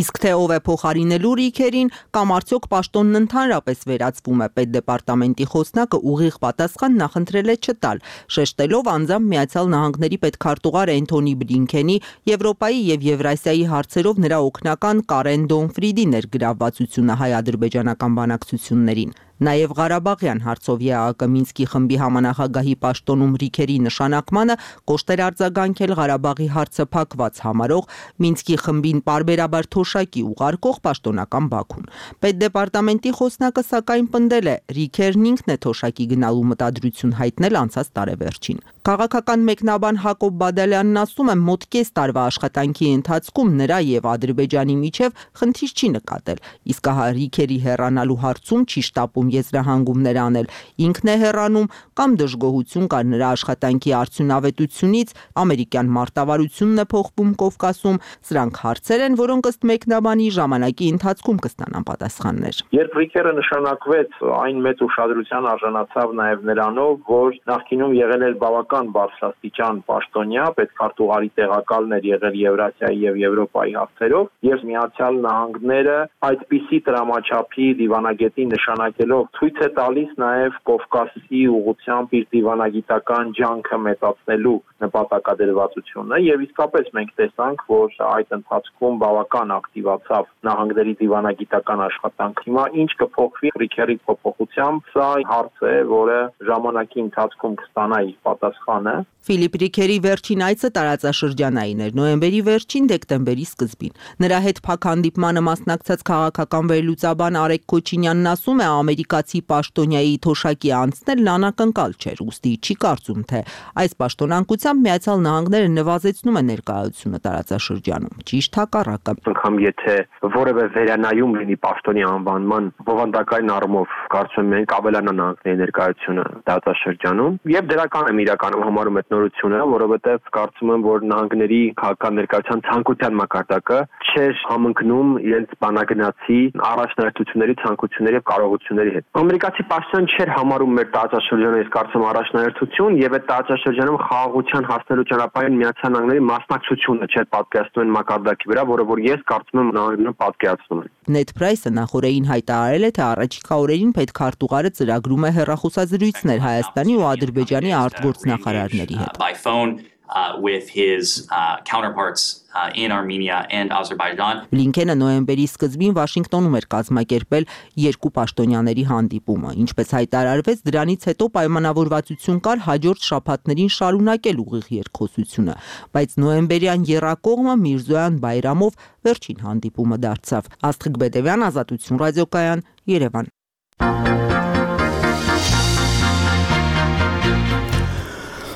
Իսկ թե ով է փոխարինելու Ռիքերին կամ արդյոք պաշտոնն ընդհանրապես վերածվում է, պետդեպարտամենտի խոսնակը ուղիղ պատասխան նախընտրել է չտալ, շեշտելով անձամբ Միացյալ Նահանգների պետքարտուղար Էնթոնի Բլինքենի Եվրոպայի եւ Եվրասիայի հարցերով նրա օգնական Կարեն Դոնֆրիդի ներգրավվածությունը հայ-ադրբեջանական բանակցություններին։ Նաև Ղարաբաղյան հարցով Է Հ Կ Մինսկի խմբի համանախագահի պաշտոնում Ռիքերի նշանակմանը կոշտ էր արձագանքել Ղարաբաղի հարցը փակված համարող Մինսկի խմբին պարբերաբար թոշակի ուղարկող պաշտոնական Բաքուն։ Պետդեպարտամենտի խոսնակը սակայն պնդել է, Ռիքերն ինքն է թոշակի գնալու մտադրություն հայտնել անցած տարեվերջին։ Քաղաքական մեկնաբան Հակոբ Բադալյանն ասում է, մոտ կես տարվա աշխատանքի ընթացքում նրա եւ Ադրբեջանի միջև խնդիր չի նկատել, իսկ ահա Ռիքերի հեռանալու հարցում չի շտապում եզրահանգումներ անել, ինքն է հեռանում կամ դժգոհություն կար նրա աշխատանքի արդյունավետությունից, ամերիկյան մարտավարությունն է փոխվում Կովկասում, սրանք հարցեր են, որոնք ըստ մեկնաբանի ժամանակի ընթացքում կստանան պատասխաններ։ Երբ Ռիքերը նշանակվեց, այն մեծ ուշադրության արժանացավ նաև նրանով, որ նախկինում եղել էր բավական բարձրաստիճան պաշտոնյա, պետքարտուղարի տեղակալն էր եղել Եվրասիայի եւ Եվրոպայի հարցերով, եւ Միացյալ Նահանգները այդպիսի տրամաչափի դիվանագետի նշանակելով ցույց է տալիս նաև Կովկասի ուղղությամբ իր դիվանագիտական ջանքը մեծացնելու նպատակադրվածությունը եւ իսկապես մենք տեսանք, որ այդ ընթացքում բավական ակտիվացավ նահանգների դիվանագիտական աշխատանքը։ Հիմա ինչ կփոխվի Ռիքերի փոփոխությամբ, սա հարց է, որը ժամանակի ընթացքում կստանա իր պատասխանը։ Ֆիլիպ Ռիքերի վերջին այցը տարածաշրջանային էր նոյեմբերի վերջին դեկտեմբերի սկզբին։ Նրա հետ փակ հանդիպմանը մասնակցած քաղաքական վերլուծաբան Արեգ Քոչինյանն ասում է, ամերիկացի պաշտոնյայի թոշակի անցնելն անակնկալ չէր, ուստի չի կարծում, թե այս պաշտոնանկությամբ Միացյալ Նահանգները նվազեցնում է ներկայությունը տարածաշրջանում։ Ճիշտ հակառակը։ Անգամ եթե որևէ վերանայում լինի պաշտոնի անվանման բովանդակային առումով, կարծում եմ մենք ավելանա նահանգների ներկայությունը տարածաշրջանում եւ դրական եմ իրականում համարում այդ նորությունը, որովհետեւ կարծում եմ, որ նահանգների քաղաքական ներկայության ցանկության մակարդակը չէր համընկնում իրենց բանագնացի առաջնահերթությունների, ցանկությունների եւ կարողությունների հետ։ Ամերիկացի պաշտոնյան չէր համարում մեր տարածաշրջանը, ես կարծում առաջնահերթություն եւ այդ տարածաշրջանում խաղաղության հասնելու ճանապարհին Միացյալ Նահանգների մասնակցությունը չէր պատկերացնում այն մակարդակի վրա, որը որ ես կարծում եմ նահանգներում պատկերացնում են։ Նեդ Փրայսը նախորդին հայտարարել է, թե առաջիկա օրերին պետքարտուղարը ծրագրում է հեռախոսազրույցներ Հայաստանի ու Ադրբեջանի արտգործնախարարների հետ։ Uh, with his uh, counterparts uh, in Armenia and Azerbaijan. Բլինքենը նոյեմբերի սկզբին Վաշինգտոնում էր կազմակերպել երկու պաշտոնյաների հանդիպումը, ինչպես հայտարարվեց, դրանից հետո պայմանավորվածություն կար հաջորդ շաբաթներին շարունակել ուղիղ երկխոսությունը, բայց նոյեմբերյան եռակողմը Միրզոյան Բայրամով վերջին հանդիպումը դարձավ։ Աստղիկ Բեդևյան, Ազատություն ռադիոկայան, Երևան։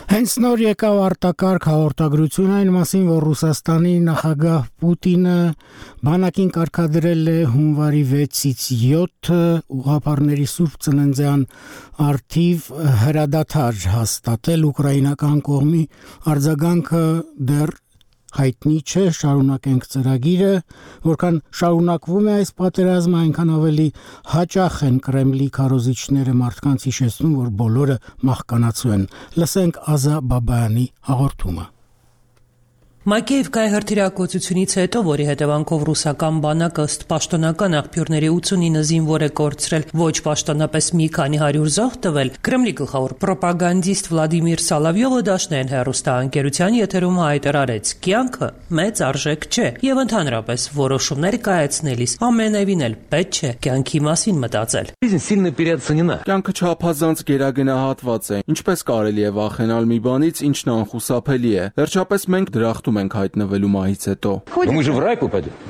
Հենց նոր եկավ արտակարգ հաղորդագրություն այն մասին, որ Ռուսաստանի նախագահ Պուտինը բանակին կարգադրել է հունվարի վեցից յոթ ուղղափառների Սուրբ Ծննդյան առթիվ հրադադար հաստատել ուկրաինական կողմի արձագանքը դեռ հայտնի չէ, շարունակենք ծրագիրը, որքան շարունակվում է այս պատերազմը, այնքան ավելի հաճախ են Կրեմլի քարոզիչները մարդկանց հիշեցնում, որ բոլորը մահկանացու են։ Լսենք Ազա Բաբայանի հաղորդումը։ Մակեևկայի հրթիռակոծությունից հետո, որի հետևանքով ռուսական բանակը ըստ պաշտոնական աղբյուրների ութսունինը զինվոր է կորցրել, ոչ պաշտոնապես մի քանի հարյուր զոհ տվել, Կրեմլի գլխավոր պրոպագանդիստ Վլադիմիր Սալավյովը դաշնային հեռուստաընկերության եթերում հայտարարեց. «Կյանքը մեծ արժեք չէ եւ ընդհանրապես որոշումներ կայացնելիս ամենևին էլ պետք չէ կյանքի մասին մտածել»։ Կյանքը չափազանց գերագնահատված է, ինչպես կարելի է վախենալ մի բանից, ինչն անխուսափելի է։ Վերջապես մենք դրախտում ենք հայտնվելու մահից հետո։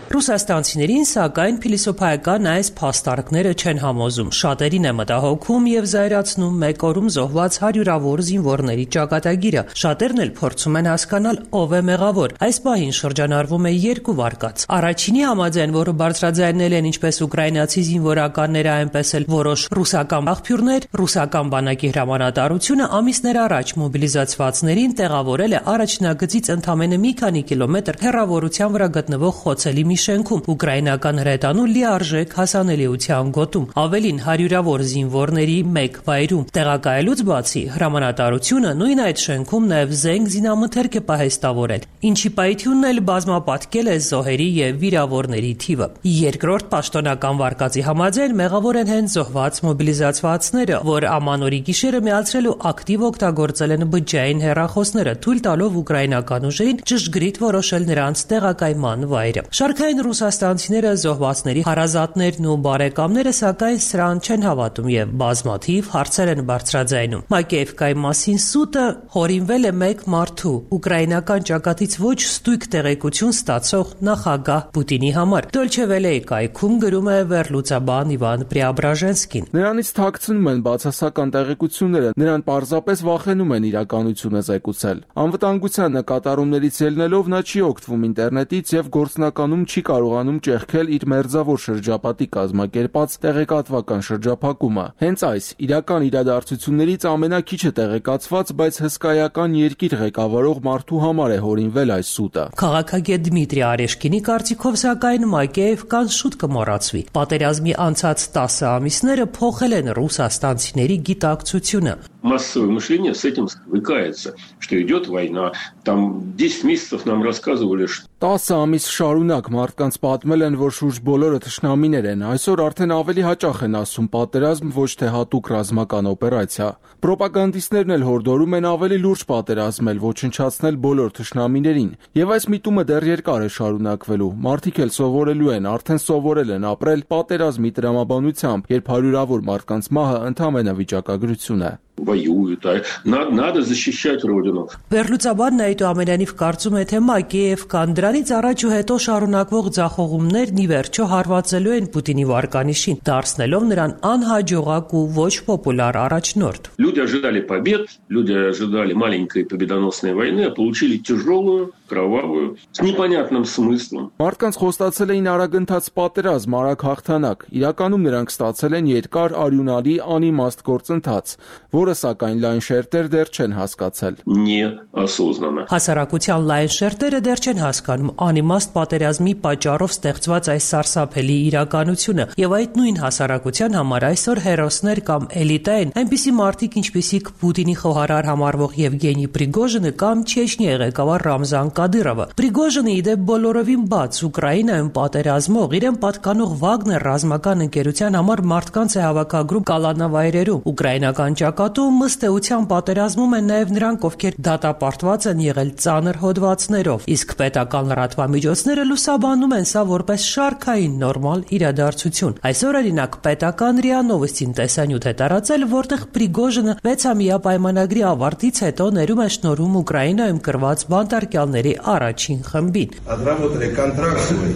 Ռուսաստանցիներին, սակայն, փիլիսոփայական այս փաստարկները չեն համոզում։ Շատերին է մտահոգում եւ զայրացնում մեկ օրում զոհված հարյուրավոր զինվորների ճակատագիրը։ Շատերն էլ փորձում են հասկանալ ով է մեղավոր։ Այս պահին շրջանառվում է երկու վարկած։ Առաջինի համաձայն, որը բարձրաձայնել են ինչպես ուկրաինացի զինվորականները, այնպես էլ որոշ ռուսական աղբյուրներ, ռուսական բանակի հրամանատարությունը ամիսներ առաջ մոբիլիզացվածներին տեղավորել է առաջնագծից ընդամենը մի քանի կիլոմետր հեռավորության վրա գտնվող խոցելի մի շենքում ուկրաինական հրետանու լիարժեք հասանելիության գոտում։ Ավելին, հարյուրավոր զինվորների մեկ վայրում տեղակայելուց բացի, հրամանատարությունը նույն այդ շենքում նաև զենք զինամթերք է պահեստավորել, ինչի պայթյունն էլ բազմապատկել է զոհերի եւ վիրավորների թիվը։ Երկրորդ պաշտոնական վարկածի համաձայն մեղավոր են հենց զոհված մոբիլիզացվածները, որ ամանորի գիշերը միացրել ու ակտիվ օգտագործել են բջջային հեռախոսները, թույլ տալով ուկրաինական ուժերին ճշգրիտ որոշել նրանց տեղակայման վայրը։ Շարքային ռուսաստանցիները, զոհվածների հարազատներն ու բարեկամները, սակայն սրան չեն հավատում եւ բազմաթիվ հարցեր են բարձրաձայնում։ Մակեևկայի մասին սուտը հորինվել է մեկ մարդու, ուկրաինական ճակատից ոչ ստույգ տեղեկություն ստացող նախագահ Պուտինի համար։ Դոլչե Վելեի կայքում գրում է վերլուծաբան Իվան Պրիաբրաժենսկին։ Նրանից թաքցնում են բացասական տեղեկությունները, նրան պարզապես վախենում են իրականությունը զեկուցել։ Անվտանգության նկատառումներից ելնելով նա չի օգտվում ինտերնետից եւ գործնականում չի կարողանում ճեղքել իր մերձավոր շրջապատի կազմակերպած տեղեկատվական շրջափակումը։ Հենց այս իրական իրադարձություններից ամենակիչը տեղեկացված, բայց հսկայական երկիր ղեկավարող մարդու համար է հորինվել այս սուտը։ Քաղաքագետ Դմիտրի Արեշկինի կարծիքով, սակայն, Մակեևկան շուտ կմոռացվի։ Պատերազմի անցած տասը ամիսները փոխել են ռուսաստանցիների գիտակցությունը։ Массовое мышление с этим свыкается, что идет война. Там десять месяцев нам рассказывали, что տասը ամիս շարունակ մարդկանց պատմել են, որ շուրջ բոլորը թշնամիներ են։ Այսօր արդեն ավելի հաճախ են ասում պատերազմ, ոչ թե հատուկ ռազմական օպերացիա։ Պրոպագանդիստներն էլ հորդորում են ավելի լուրջ պատերազմել, ոչնչացնել բոլոր թշնամիներին։ Եվ այս միտումը դեռ երկար է шարունակվելու։ Մարդիկ էլ սովորելու են, արդեն սովորել են ապրել պատերազմի տրամաբանությամբ, երբ հարյուրավոր մարդկանց մահը ընդհանրապես վիճակագրություն է։ воюют, а надо, надо защищать родину. Վերլուծաբանն այդուամենայնիվ կարծում է, թե Մակեևկան դրանից առաջ ու հետո շարունակվող ձախողումներն ի վերջո հարվածելու են Պուտինի վարկանիշին, դարձնելով նրան անհաջողակ ու ոչ պոպուլար առաջնորդ։ Люди ожидали побед, люди ожидали маленькой победоносной войны, а получили тяжелую, кровавую, с непонятным смыслом. Մարդկանց խոստացել էին արագընթաց պատերազմ, արագ հաղթանակ։ Իրականում նրանք ստացել են երկար արյունալի անիմաստ գործընթաց, որը սակայն լայն շերտեր դեռ չեն հասկացել։ Неосознанно. Հասարակության լայն շերտերը դեռ չեն հասկանում անիմաստ պատերազմի պատճառով ստեղծված այս սարսափելի իրականությունը, եւ այդ նույն հասարակության համար այսօր հերոսներ կամ էլիտա են այնպիսի մարդիկ, ինչպիսիք Պուտինի խոհարար համարվող Եվգենի Պրիգոժինը կամ Չեչնիայի ղեկավար Ռամզան Կադիրովը։ Պրիգոժինը իդեպ բոլորովին բաց Ուկրաինայում պատերազմող իրեն պատկանող Վագներ ռազմական ընկերության համար մարդկանց է հավաքագրում կալանավայրերում։ Ուկրաինական ճակատում ըստ էության պատերազմում են նաև նրանք, ովքեր դատապարտված են եղել ծանր հոդվածներով, իսկ պետական լրատվամիջոցները լուսաբանում են սա որպես շարքային նորմալ իրադարձություն։ Այսօր օրինակ պետական րիա Նովոստին տեսանյութ է տարածել, որտեղ Պրիգոժինը վեցամյա պայմանագրի ավարտից հետո ներում է շնորհում Ուկրաինայում կրված բանտարկյալների առաջին խմբին։ Отработали контракт свой,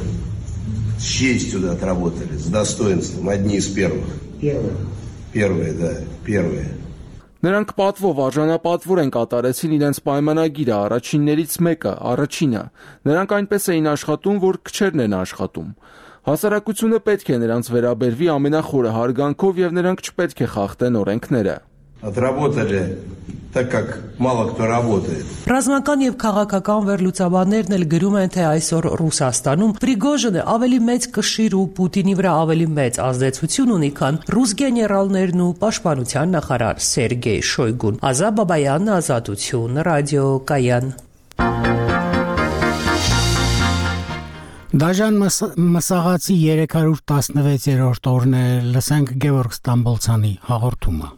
с честью отработали, с достоинством, одни из первых. Первые. Первые, да, первые. Նրանք պատվով արժանապատվոր են կատարեցին իրենց պայմանագիրը, առաջիններից մեկը, առաջինը։ Նրանք այնպես էին աշխատում, որ քչերն են աշխատում։ Հասարակությունը պետք է նրանց վերաբերվի ամենախորը հարգանքով եւ նրանք չպետք է խախտեն օրենքները։ Отработали так как мало кто работает. Ռազմական եւ քաղաքական վերլուծաբաններն էլ գրում են, թե այսօր Ռուսաստանում Պրիգոժինը ավելի մեծ կշիռ ու Պուտինի վրա ավելի մեծ ազդեցություն ունի, քան ռուս գեներալներն ու պաշտպանության նախարար Սերգեյ Շոյգուն։ Ազա Բաբայան, Ազատություն, ռադիո Կայան։ Դաժան Մսաղացի երեք հարյուր տասնվեցերորդ օրն է, լսենք Գևորգ Ստամբոլցյանի հաղորդումը։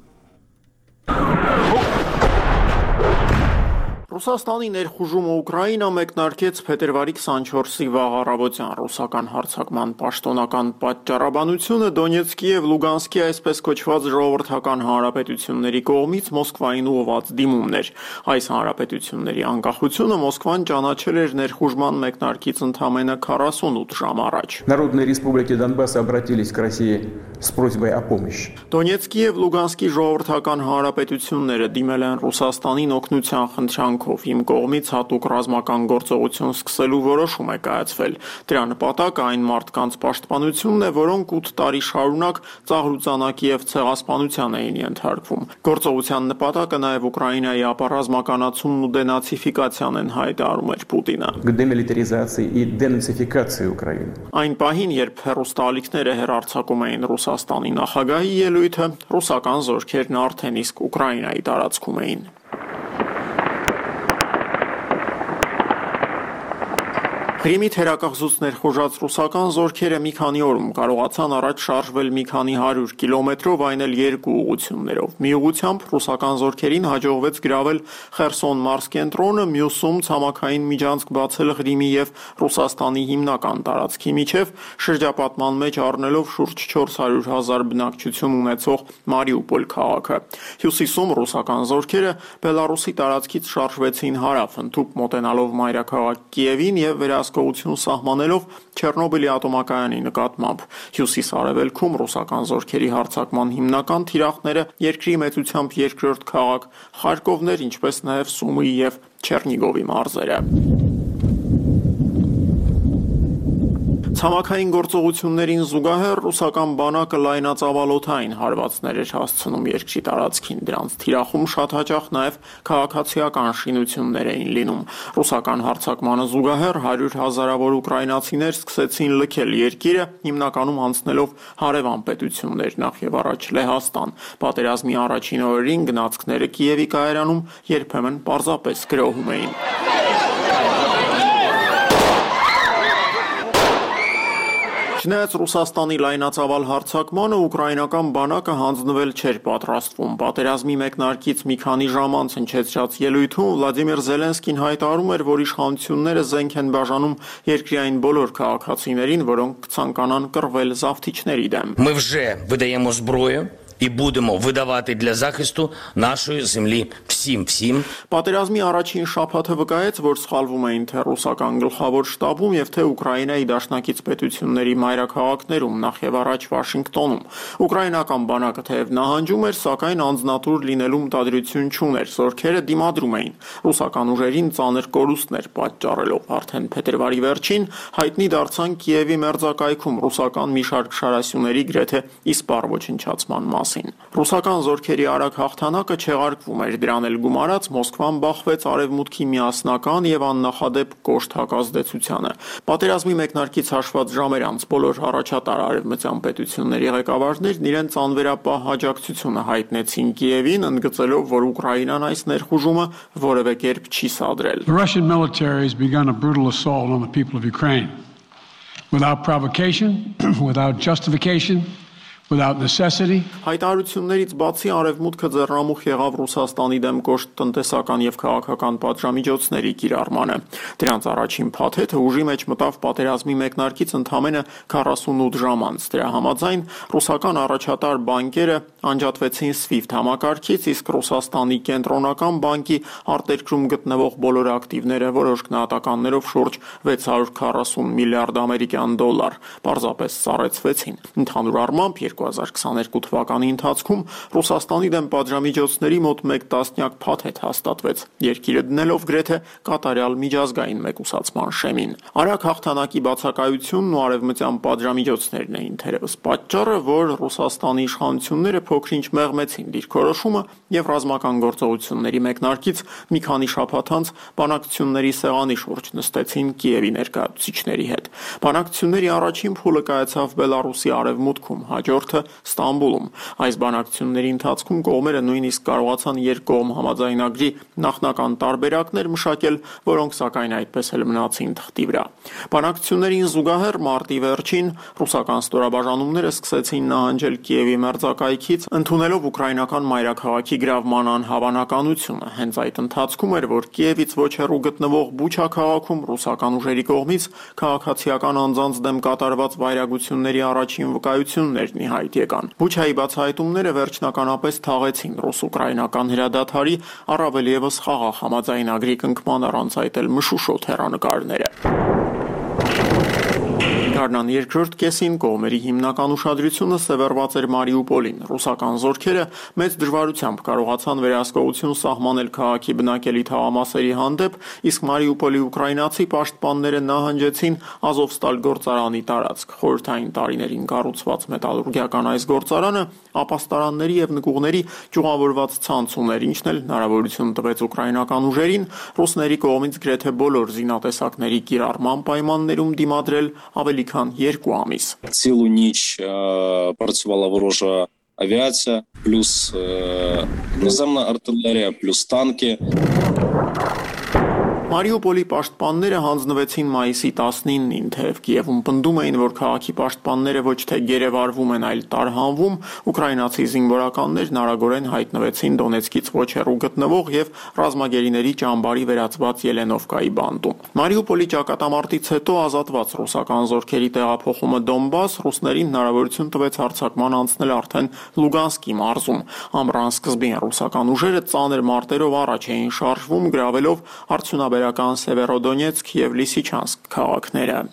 Ռուսաստանի ներխուժումը Ուկրաինա մեկնարկեց փետրվարի քսանչորսի վաղ առավոտյան ռուսական հարձակման պաշտոնական պատճառաբանությունը Դոնեցկի եւ Լուգանսկի այսպես կոչված ժողովրդական հանրապետությունների կողմից Մոսկվային ուղղված դիմումներ։ Այս հանրապետությունների անկախությունը Մոսկվան ճանաչել էր ներխուժման մեկնարկից ընդամենը քառասունութ ժամ առաջ։ Народные республики Донбасса обратились к России с просьбой о помощи. Դոնեցկի եւ Լուգանսկի ժողովրդական հանրապետությունները դիմել են Ռուսաստանին օգնության խնդրանքով իմ կողմից հատուկ ռազմական գործողություն սկսելու որոշում է կայացվել։ Դրա նպատակը այն մարդկանց պաշտպանությունն է, որոնք ութ տարի շարունակ ծաղրուծանակի եւ ցեղասպանության էին ենթարկվում։ Գործողության նպատակը նաեւ Ուկրաինայի ապառազմականացումն ու դենացիֆիկացիան են հայտարարում էր Պուտինը։ К демилитаризации и денацификации Украины. Այն պահին, երբ հեռուստաալիքները հեռարձակում էին Ռուսաստանի նախագահի ելույթը, ռուսական զորքերն արդեն իսկ Ուկրաինայի տարածքում էին։ Կրիմի թերակղզուց ներխուժած ռուսական զորքերը մի քանի օրում կարողացան առաջ շարժվել մի քանի հարյուր կիլոմետրով, այն էլ երկու ուղղություններով։ Մի ուղղությամբ ռուսական զորքերին հաջողվեց գրավել Խերսոն մարզկենտրոնը, մյուսում ցամաքային միջանցք բացել Ղրիմի եւ Ռուսաստանի հիմնական տարածքի միջև, շրջապատման մեջ առնելով շուրջ չորս հարյուր հազար բնակչություն ունեցող Մարիուպոլ քաղաքը։ Հյուսիսում ռուսական զորքերը Բելարուսի տարածքից շարժվեցին հարավ, ընդհուպ մոտենալով մայրաքաղաք Կիևին եւ վերահսկողություն սահմանելով Չեռնոբիլի ատոմակայանի նկատմամբ։ Հյուսիս-արևելքում ռուսական զորքերի հարձակման հիմնական թիրախները երկրի մեծությամբ երկրորդ քաղաք Խարկովն էր, ինչպես նաև Սումիի եւ Չեռնիգովի մարզերը։ Ցամաքային գործողություններին զուգահեռ ռուսական բանակը լայնածավալոթային հարվածներ էր հասցնում երկրի տարածքին, դրանց թիրախում շատ հաճախ նաև քաղաքացիական շինություններ էին լինում։ Ռուսական հարձակմանը զուգահեռ հարյուր հազարավոր ուկրաինացիներ սկսեցին լքել երկիրը, հիմնականում անցնելով հարևան պետություններ, նախ եւ առաջ Լեհաստան։ Պատերազմի առաջին օրերին գնացքները Կիևի կայարանում երբեմն պարզապես գրոհում էին։ Չնայած Ռուսաստանի լայնածավալ հարձակմանը, ուկրաինական բանակը հանձնվել չէր պատրաստվում։ Պատերազմի մեկնարկից մի քանի ժամ անց հնչեցրած ելույթում Վլադիմիր Զելենսկին հայտարարում էր, որ իշխանությունները զենք են բաժանում երկրի այն բոլոր քաղաքացիներին, որոնք կցանկանան կռվել զավթիչների դեմ։ Ми вже видаємо зброю і будемо видавати для захисту нашої землі всім всім. Պատերազմի առաջին շաբաթը վկայեց, որ սխալվում էին թե ռուսական գլխավոր շտաբում եւ թե Ուկրաինայի դաշնակից պետությունների մայրաքաղաքներում, նախ եւ առաջ Վաշինգտոնում։ Ուկրաինական բանակը թեև նահանջում էր, սակայն անձնատուր լինելու մտադրություն չուներ, զորքերը դիմադրում էին։ Ռուսական ուժերին ծանր կորուստներ պատճառելով արդեն փետրվարի վերջին հայտնի դարձան Կիևի մերձակայքում ռուսական մի շարք շարասյուների գրեթե իսպառ ոչնչացման մասին։ Ռուսական զորքերի արագ հաղթանակը չեղարկվում էր, դրան էլ գումարած Մոսկվան բախվեց արևմուտքի միասնական եւ աննախադեպ կոշտ հակազդեցությանը։ Պատերազմի մեկնարկից հաշված ժամեր անց բոլոր առաջատար արևմտյան պետությունների ղեկավարներն իրենց անվերապահ աջակցությունը հայտնեցին Կիևին, ընդգծելով, որ Ուկրաինան այս ներխուժումը որևէ կերպ չի սադրել։ The Russian military has begun a brutal assault on the people of Ukraine without provocation, without justification, without necessity. Հայտարարություններից բացի արևմուտքը ձեռնամուխ եղավ Ռուսաստանի դեմ կոշտ տնտեսական եւ քաղաքական պատժամիջոցների կիրառմանը։ Դրանց առաջին փաթեթը ուժի մեջ մտավ պատերազմի մեկնարկից ընդամենը քառասունութ ժամ անց։ Դրա համաձայն ռուսական առաջատար բանկերը անջատվեցին SWIFT համակարգից, իսկ Ռուսաստանի կենտրոնական բանկի արտերկրում գտնվող բոլոր ակտիվները որոշ գնահատականներով շուրջ վեց հարյուր քառասուն միլիարդ ամերիկյան դոլար պարզապես սառեցվեցին։ Ընդհանուր առմամբ երկու հազար քսաներկու թվականի ընթացքում Ռուսաստանի դեմ պատժամիջոցների մոտ մեկ տասնյակ փաթեթ հաստատվեց, երկիրը դնելով գրեթե կատարյալ միջազգային մեկուսացման շեմին։ Արագ հաղթանակի բացակայությունն ու արևմտյան պատժամիջոցներն էին թերևս պատճառը, որ Ռուսաստանի իշխանությունները փոքրինչ մեղմեցին դիրքորոշումը եւ ռազմական գործողությունների մեկնարկից մի քանի շաբաթ անց բանակցությունների սեղանի շուրջ նստեցին Կիևի ներկայացուցիչների հետ։ Բանակցությունների առաջին փուլը կայացավ Բելարուսի արևմուտքում, հաջորդ խորհուրդը Ստամբուլում։ Այս բանակցությունների ընթացքում կողմերը նույնիսկ կարողացան երկկողմ համաձայնագրի նախնական տարբերակներ մշակել, որոնք սակայն այդպես էլ մնացին թղթի վրա։ Բանակցություններին զուգահեռ մարտի վերջին ռուսական ստորաբաժանումները սկսեցին նահանջել Կիևի մերձակայքից, ընդունելով ուկրաինական մայրաքաղաքի գրավման անհավանականությունը։ Հենց այդ ընթացքում էր, որ Կիևից ոչ հեռու գտնվող Բուչա քաղաքում ռուսական ուժերի կողմից քաղաքացիական անձանց դեմ կատարված վայրագությունների առաջին վկայություններն ի հայտ եկան։ Բուչայի բացահայտումները վերջնականապես թաղեցին ռուս-ուկրաինական հրադադարի, առավել ևս խաղաղ համաձայնագրի կնքման առանց այդ էլ մշուշոտ հեռանկարները։ Գարնան երկրորդ կեսին կողմերի հիմնական ուշադրությունը սևեռված էր Մարիուպոլին։ Ռուսական զորքերը մեծ դժվարությամբ կարողացան վերահսկողություն սահմանել քաղաքի բնակելի թաղամասերի հանդեպ, իսկ Մարիուպոլի ուկրաինացի պաշտպանները նահանջեցին Ազովստալ գործարանի տարածք։ Խորհրդային տարիներին կառուցված մետալուրգիական այս գործարանը ապաստարանների եւ նկուղների ճյուղավորված ցանց ուներ, ինչն էլ հնարավորություն տվեց ուկրաինական ուժերին ռուսների կողմից գրեթե բոլոր զինատեսակների կիրառման պայմաններում դիմադրել ավելի քան երկու ամիս։ Цілу ніч працювала ворожа авіація, плюс наземна артилерія, плюс танки. Մարիուպոլի պաշտպանները հանձնվեցին մայիսի տասնինին, թեև Կիևում պնդում էին, որ քաղաքի պաշտպանները ոչ թե գերեվարվում են, այլ տարհանվում, ուկրաինացի զինվորականներն արագորեն հայտնվեցին Դոնեցկից ոչ հեռու գտնվող եւ ռազմագերիների ճամբարի վերածված Ելենովկայի բանտում։ Մարիուպոլի ճակատամարտից հետո ազատված ռուսական զորքերի տեղափոխումը Դոնբաս ռուսներին հնարավորություն տվեց հարձակման անցնել արդեն Լուգանսկի մարզում։ Ամռան սկզբին ռուսական ուժերը ծանր մարտերով առաջ էին շարժվում, գրավելով արդյունաբերական Սևերոդոնեցկ եւ Լիսիչանսկ քաղաքները։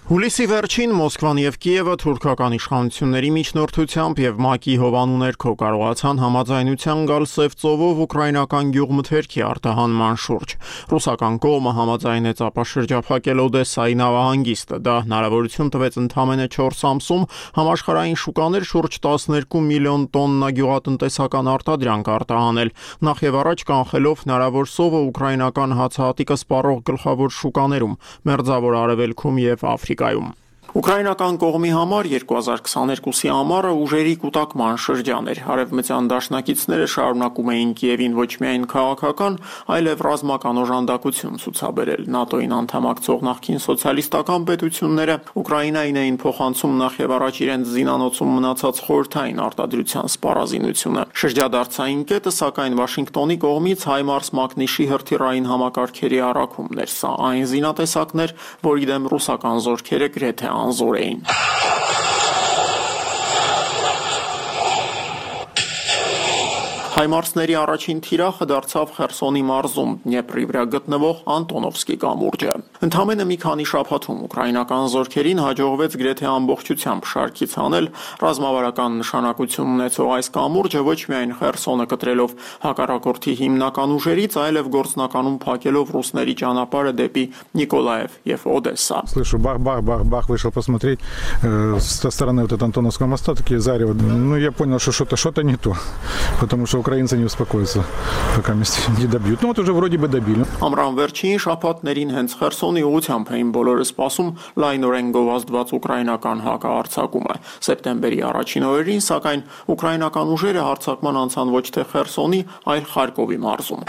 Հուլիսի վերջին Մոսկվան եւ Կիևը թուրքական իշխանությունների միջնորդությամբ եւ ՄԱԿ-ի հովանու ներքո կարողացան համաձայնության գալ Սև ծովով ուկրաինական գյուղմթերքի արտահանման շուրջ։ Ռուսական կողմը համաձայնեց ապաշրջափակել Օդեսայի նավահանգիստը։ Դա հնարավորություն տվեց ընդամենը չորս ամսում համաշխարհային շուկաներ շուրջ տասներկու միլիոն տոննա գյուղատնտեսական արտադրանք արտահանել, նախ եւ առաջ կանխելով հնարավոր սովը ուկրաինական հացահատիկը սպառող գլխավոր շուկաներում, Մերձավոր Արևելքում եւ Աֆրիկայում։ Ուկրաինական կողմի համար երկու հազար քսաներկուսի ամառը ուժերի կուտակման շրջան էր։ Արևմտյան դաշնակիցները շարունակում էին Կիևին ոչ միայն քաղաքական, այլև ռազմական օժանդակություն ցուցաբերել։ ՆԱՏՕ-ին անդամակցող նախկին սոցիալիստական պետությունները Ուկրաինային էին փոխանցում նախ եւ առաջ իրենց զինանոցում մնացած խորհրդային արտադրության սպառազինությունը։ Շրջադարձային կետը, սակայն Վաշինգտոնի կողմից Հայմարս Մակնիշի հրթիռային համակարգերի առաքումն էր։ Սա այն զինատեսակներ, որի դեմ ռուսական զորքերը գրեթե անզոր էին։ Հայմարսների առաջին թիրախը դարձավ Խերսոնի մարզում Դնեպրի վրա գտնվող Անտոնովսկի կամուրջը։ Ընդամենը մի քանի շաբաթում ուկրաինական զորքերին հաջողվեց գրեթե ամբողջությամբ շարքից հանել ռազմավարական նշանակություն ունեցող այս կամուրջը, ոչ միայն Խերսոնը կտրելով հակառակորդի հիմնական ուժերից, այլև գործնականում փակելով ռուսների ճանապարհը դեպի Նիկոլաև եւ Օդեսա։ Слышу, бах-бах-бах-бах, вышел посмотреть со стороны вот этого Антоновского моста, такие зарево. Ну, я понял, что что-то что-то не то, потому что украинцы не успокоятся, пока не добьют. Ну вот уже вроде бы добили. Ամռան վերջին շաբաթներին հենց Խերսոնի ուղությամբ էին բոլորը սպասում լայնորեն գովազդված ուկրաինական հակահարձակումը։ Սեպտեմբերի առաջին օրերին, սակայն ուկրաինական ուժերը հարձակման անցան ոչ թե Խերսոնի, այլ Խարկովի մարզում։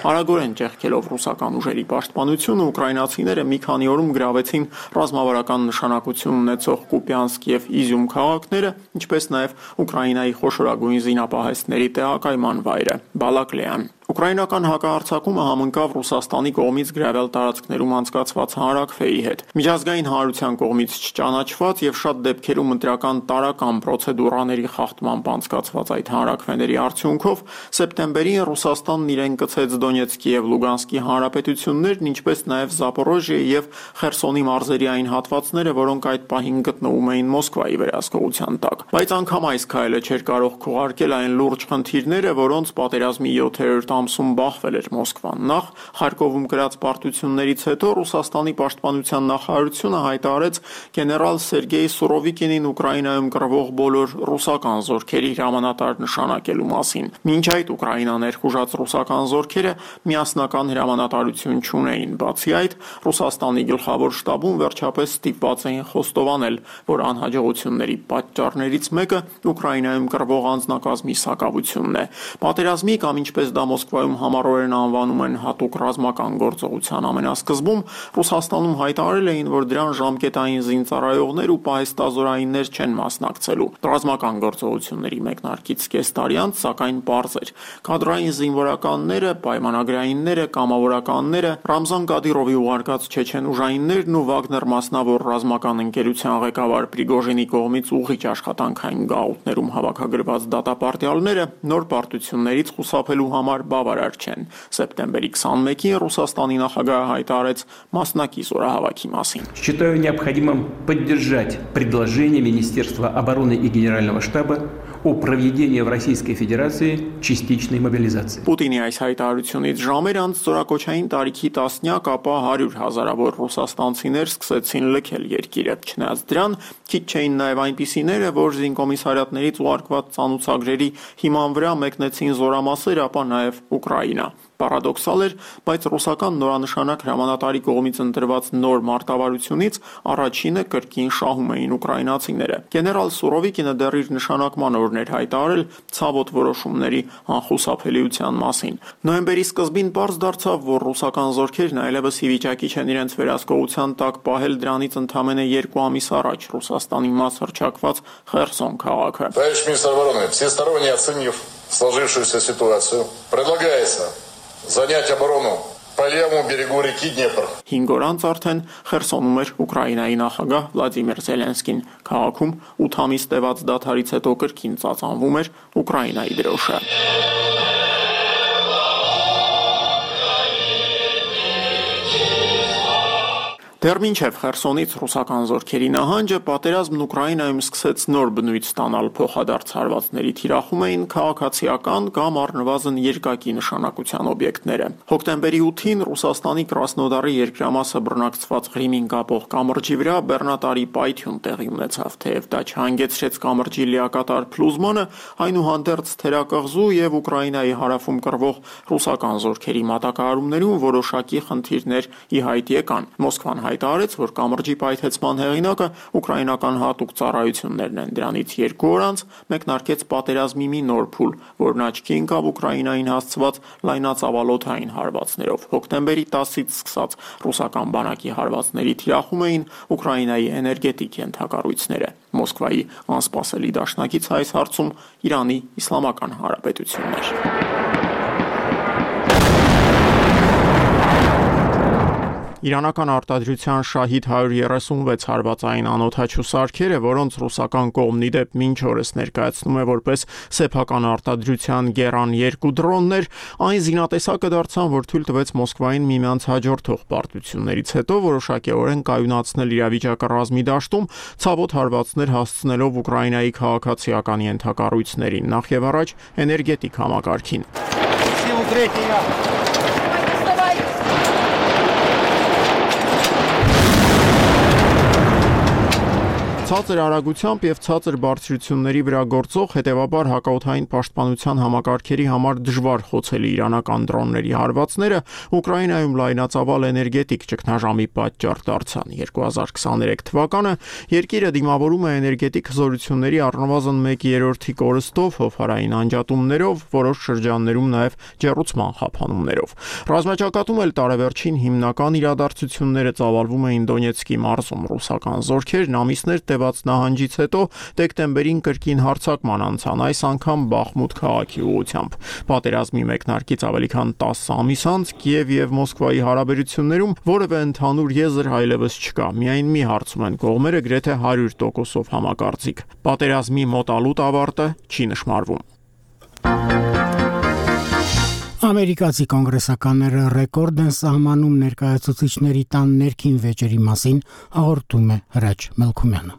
Արագորեն ճեղքելով ռուսական ուժերի պաշտպանությունը ուկրաինացիները մի քանի օրում գրավեցին ռազմավարական նշանակություն ունեցող Կուպյանսկ եւ Իզյում քաղաքները, ինչպես նաեւ Ուկրաինայի խոշորագույն զինապահեստների տեղակայման վայրը Բալակլեան։ Ուկրաինական հակահարձակումը համընկավ Ռուսաստանի կողմից գրավել տարածքներում անցկացված հանրաքվեի հետ։ Միջազգային հանրության կողմից չճանաչված եւ շատ դեպքերում ընտրական տարական պրոցեդուրաների խախտմամբ անցկացված այդ հանրաքվեների արդյունքով սեպտեմբերին Ռուսաստանն իրեն կցեց Դոնեցկի եւ Լուգանսկի հանրապետություններն, ինչպես նաեւ Զապորոժիայի եւ Խերսոնի մարզերի այն հատվածները, որոնք այդ պահին գտնվում էին Մոսկվայի վերահսկողության տակ։ Բայց անգամ այս քայլը չէր կարող քողարկել այն լուրջ խնդիրները, որոնց պատերազմի յոթերորդ ամսում բախվել էր Մոսկվան։ Նախ Խարկովում գրած պարտություններից հետո Ռուսաստանի պաշտպանության նախարարությունը հայտարարեց գեներալ Սերգեյ Սուրովիկինին Ուկրաինայում կռվող բոլոր ռուսական զորքերի հրամանատար նշանակելու մասին։ Մինչ այդ Ուկրաինան ներխուժած ռուսական զորքերը միասնական հրամանատարություն չունեին։ Բացի այդ, Ռուսաստանի գլխավոր շտաբում վերջապես ստիպված էին խոստովանել, որ անհաջողությունների պատճառներից մեկը Ուկրաինայում կռվող անձնակազմի սակավությունն է։ Պատերազմի կամ ինչպես դա Մոսկվայում համառորեն անվանում են հատուկ ռազմական գործողության ամենասկզբում Ռուսաստանում հայտարարել էին, որ դրան ժամկետային զինծառայողներ ու պահեստազորայիններ չեն մասնակցելու։ Ռազմական գործողությունների մեկնարկից կես տարի անց, սակայն պարզ էր, կադրային զինվորականները, պայմանագրայինները, կամավորականները, Ռամզան Կադիրովի ուղարկած չեչեն ուժայիններն ու Վագներ մասնավոր ռազմական ընկերության ղեկավար Պրիգոժինի կողմից ուղիչ աշխատանքային գաղութներում հավաքագրված դատապարտյալները նոր պարտություններից խուսափելու համար բավարար չեն։ Սեպտեմբերի քսանմեկին Ռուսաստանի նախագահը հայտարարեց մասնակի զորահավաքի մասին։ Считаю необходимым поддержать предложение Министерства обороны и Генерального штаба о проведении в Российской Федерации частичной мобилизации. Պուտինի այս հայտարարությունից ժամեր անց զորակոչային տարիքի տասնյակ, ապա հարյուր հազարավոր ռուսաստանցիներ սկսեցին լքել երկիրը։ Չնայած դրան, քիչ չէին նաև այնպիսիները, որ զինկոմիսարիատներից ուղարկված ծանուցագրերի հիման վրա մեկնեցին զորամասեր, ապա նաև Ուկրաինա։ Պարադոքսալ էր, բայց ռուսական նորանշանակ հրամանատարի կողմից ընտրված նոր մարտավարությունից առաջինը կրկին շահում էին ուկրաինացիները։ Գեներալ Սուրովիկինը դեռ իր նշանակման օրն էր հայտարարել ցավոտ որոշումների անխուսափելիության մասին։ Նոյեմբերի սկզբին պարզ դարձավ, որ ռուսական զորքերն այլևս ի վիճակի չեն իրենց վերահսկողության տակ պահել դրանից ընդամենը երկու ամիս առաջ Ռուսաստանի մաս հռչակված Խերսոն քաղաքը։ Товарищ министр обороны, всесторонне оценив сложившуюся ситуацию, предлагается занять оборону по левому берегу реки Днепр. Հինգ օր անց արդեն Խերսոնում էր Ուկրաինայի նախագահ Վլադիմիր Զելենսկին։ Քաղաքում ութ ամիս տևած դադարից հետո կրկին ծածանվում էր Ուկրաինայի դրոշը։ Դեռ մինչև Խերսոնից ռուսական զորքերի նահանջը պատերազմն Ուկրաինայում սկսեց նոր բնույթ ստանալ, փոխադարձ հարվածների թիրախում էին քաղաքացիական կամ առնվազն երկակի նշանակության օբյեկտները։ Հոկտեմբերի ութին Ռուսաստանի Կրասնոդարի երկրամասը բռնակցված Ղրիմին կապող կամրջի վրա բեռնատարի պայթյուն տեղի ունեցավ, թեև դա չհանգեցրեց կամրջի լիակատար փլուզմանը, այնուհանդերձ թերակղզու եւ Ուկրաինայի հարավում կռվող ռուսական զորքերի մատակարարումներում որոշակի խնդիրներ ի հայտ եկան։ Մոսկվան հայտարարեց, որ կամրջի պայթեցման հեղինակը ուկրաինական հատուկ ծառայություններն են։ Դրանից երկու օր անց մեկնարկեց պատերազմի մի նոր փուլ, որն աչքի ընկավ Ուկրաինային հասցված լայնածավալոթային հարվածներով։ Հոկտեմբերի տասից սկսած ռուսական բանակի հարվածների թիրախում էին Ուկրաինայի էներգետիկ ենթակառույցները։ Մոսկվայի անսպասելի դաշնակից այս հարցում Իրանի Իսլամական Հանրապետությունն էր։ Իրանական արտադրության շահիդ հարյուր երեսունվեց հարվածային անօդաչու սարքերը, որոնց ռուսական կողմն ի դեպ մինչ օրս ներկայացնում է որպես սեփական արտադրության Գերան երկու դրոններ, այն զինատեսակը դարձան, որ թույլ տվեց Մոսկվային միմյանց հաջորդող պարտություններից հետո որոշակիորեն կայունացնել իրավիճակը ռազմի դաշտում, ցավոտ հարվածներ հասցնելով Ուկրաինայի քաղաքացիական ենթակառույցներին, նախ եւ առաջ էներգետիկ համակարգին։ Ցածր արագությամբ եւ ցածր բարձրությունների վրա գործող, հետեւաբար հակաօդային պաշտպանության համակարգերի համար դժվար խոցելի իրանական դրոնների հարվածները Ուկրաինայում լայնածավալ էներգետիկ ճգնաժամի պատճառ դարձան։ երկու հազար քսաներեք թվականը երկիրը դիմավորում է էներգետիկ հզորությունների առնվազն մեկ երրորդի կորստով, հովհարային անջատումներով, որոշ շրջաններում նաեւ ջեռուցման խափանումներով։ Ռազմաճակատում էլ տարեվերջին հիմնական իրադարձությունները ծավալվում էին Դոնեցկի մարզում։ Ռուսական զորքերն ամիսներ տևած նահանջից հետո դեկտեմբերին կրկին հարձակման անցան, այս անգամ Բախմուտ քաղաքի ուղղությամբ։ Պատերազմի մեկնարկից ավելի քան տասը ամիս անց Կիև եւ Մոսկվայի հարաբերություններում որևէ ընդհանուր եզր այլևս չկա։ Միայն մի հարցում են կողմերը գրեթե հարյուր տոկոսով համակարծիք։ Պատերազմի մոտալուտ ավարտը չի նշмарվում։ Ամերիկացի կոնգրեսականները ռեկորդ են սահմանում ներկայացուցիչների տան ներքին վեճերի մասին, հաղորդում է Հրաչ Մելքումյանը։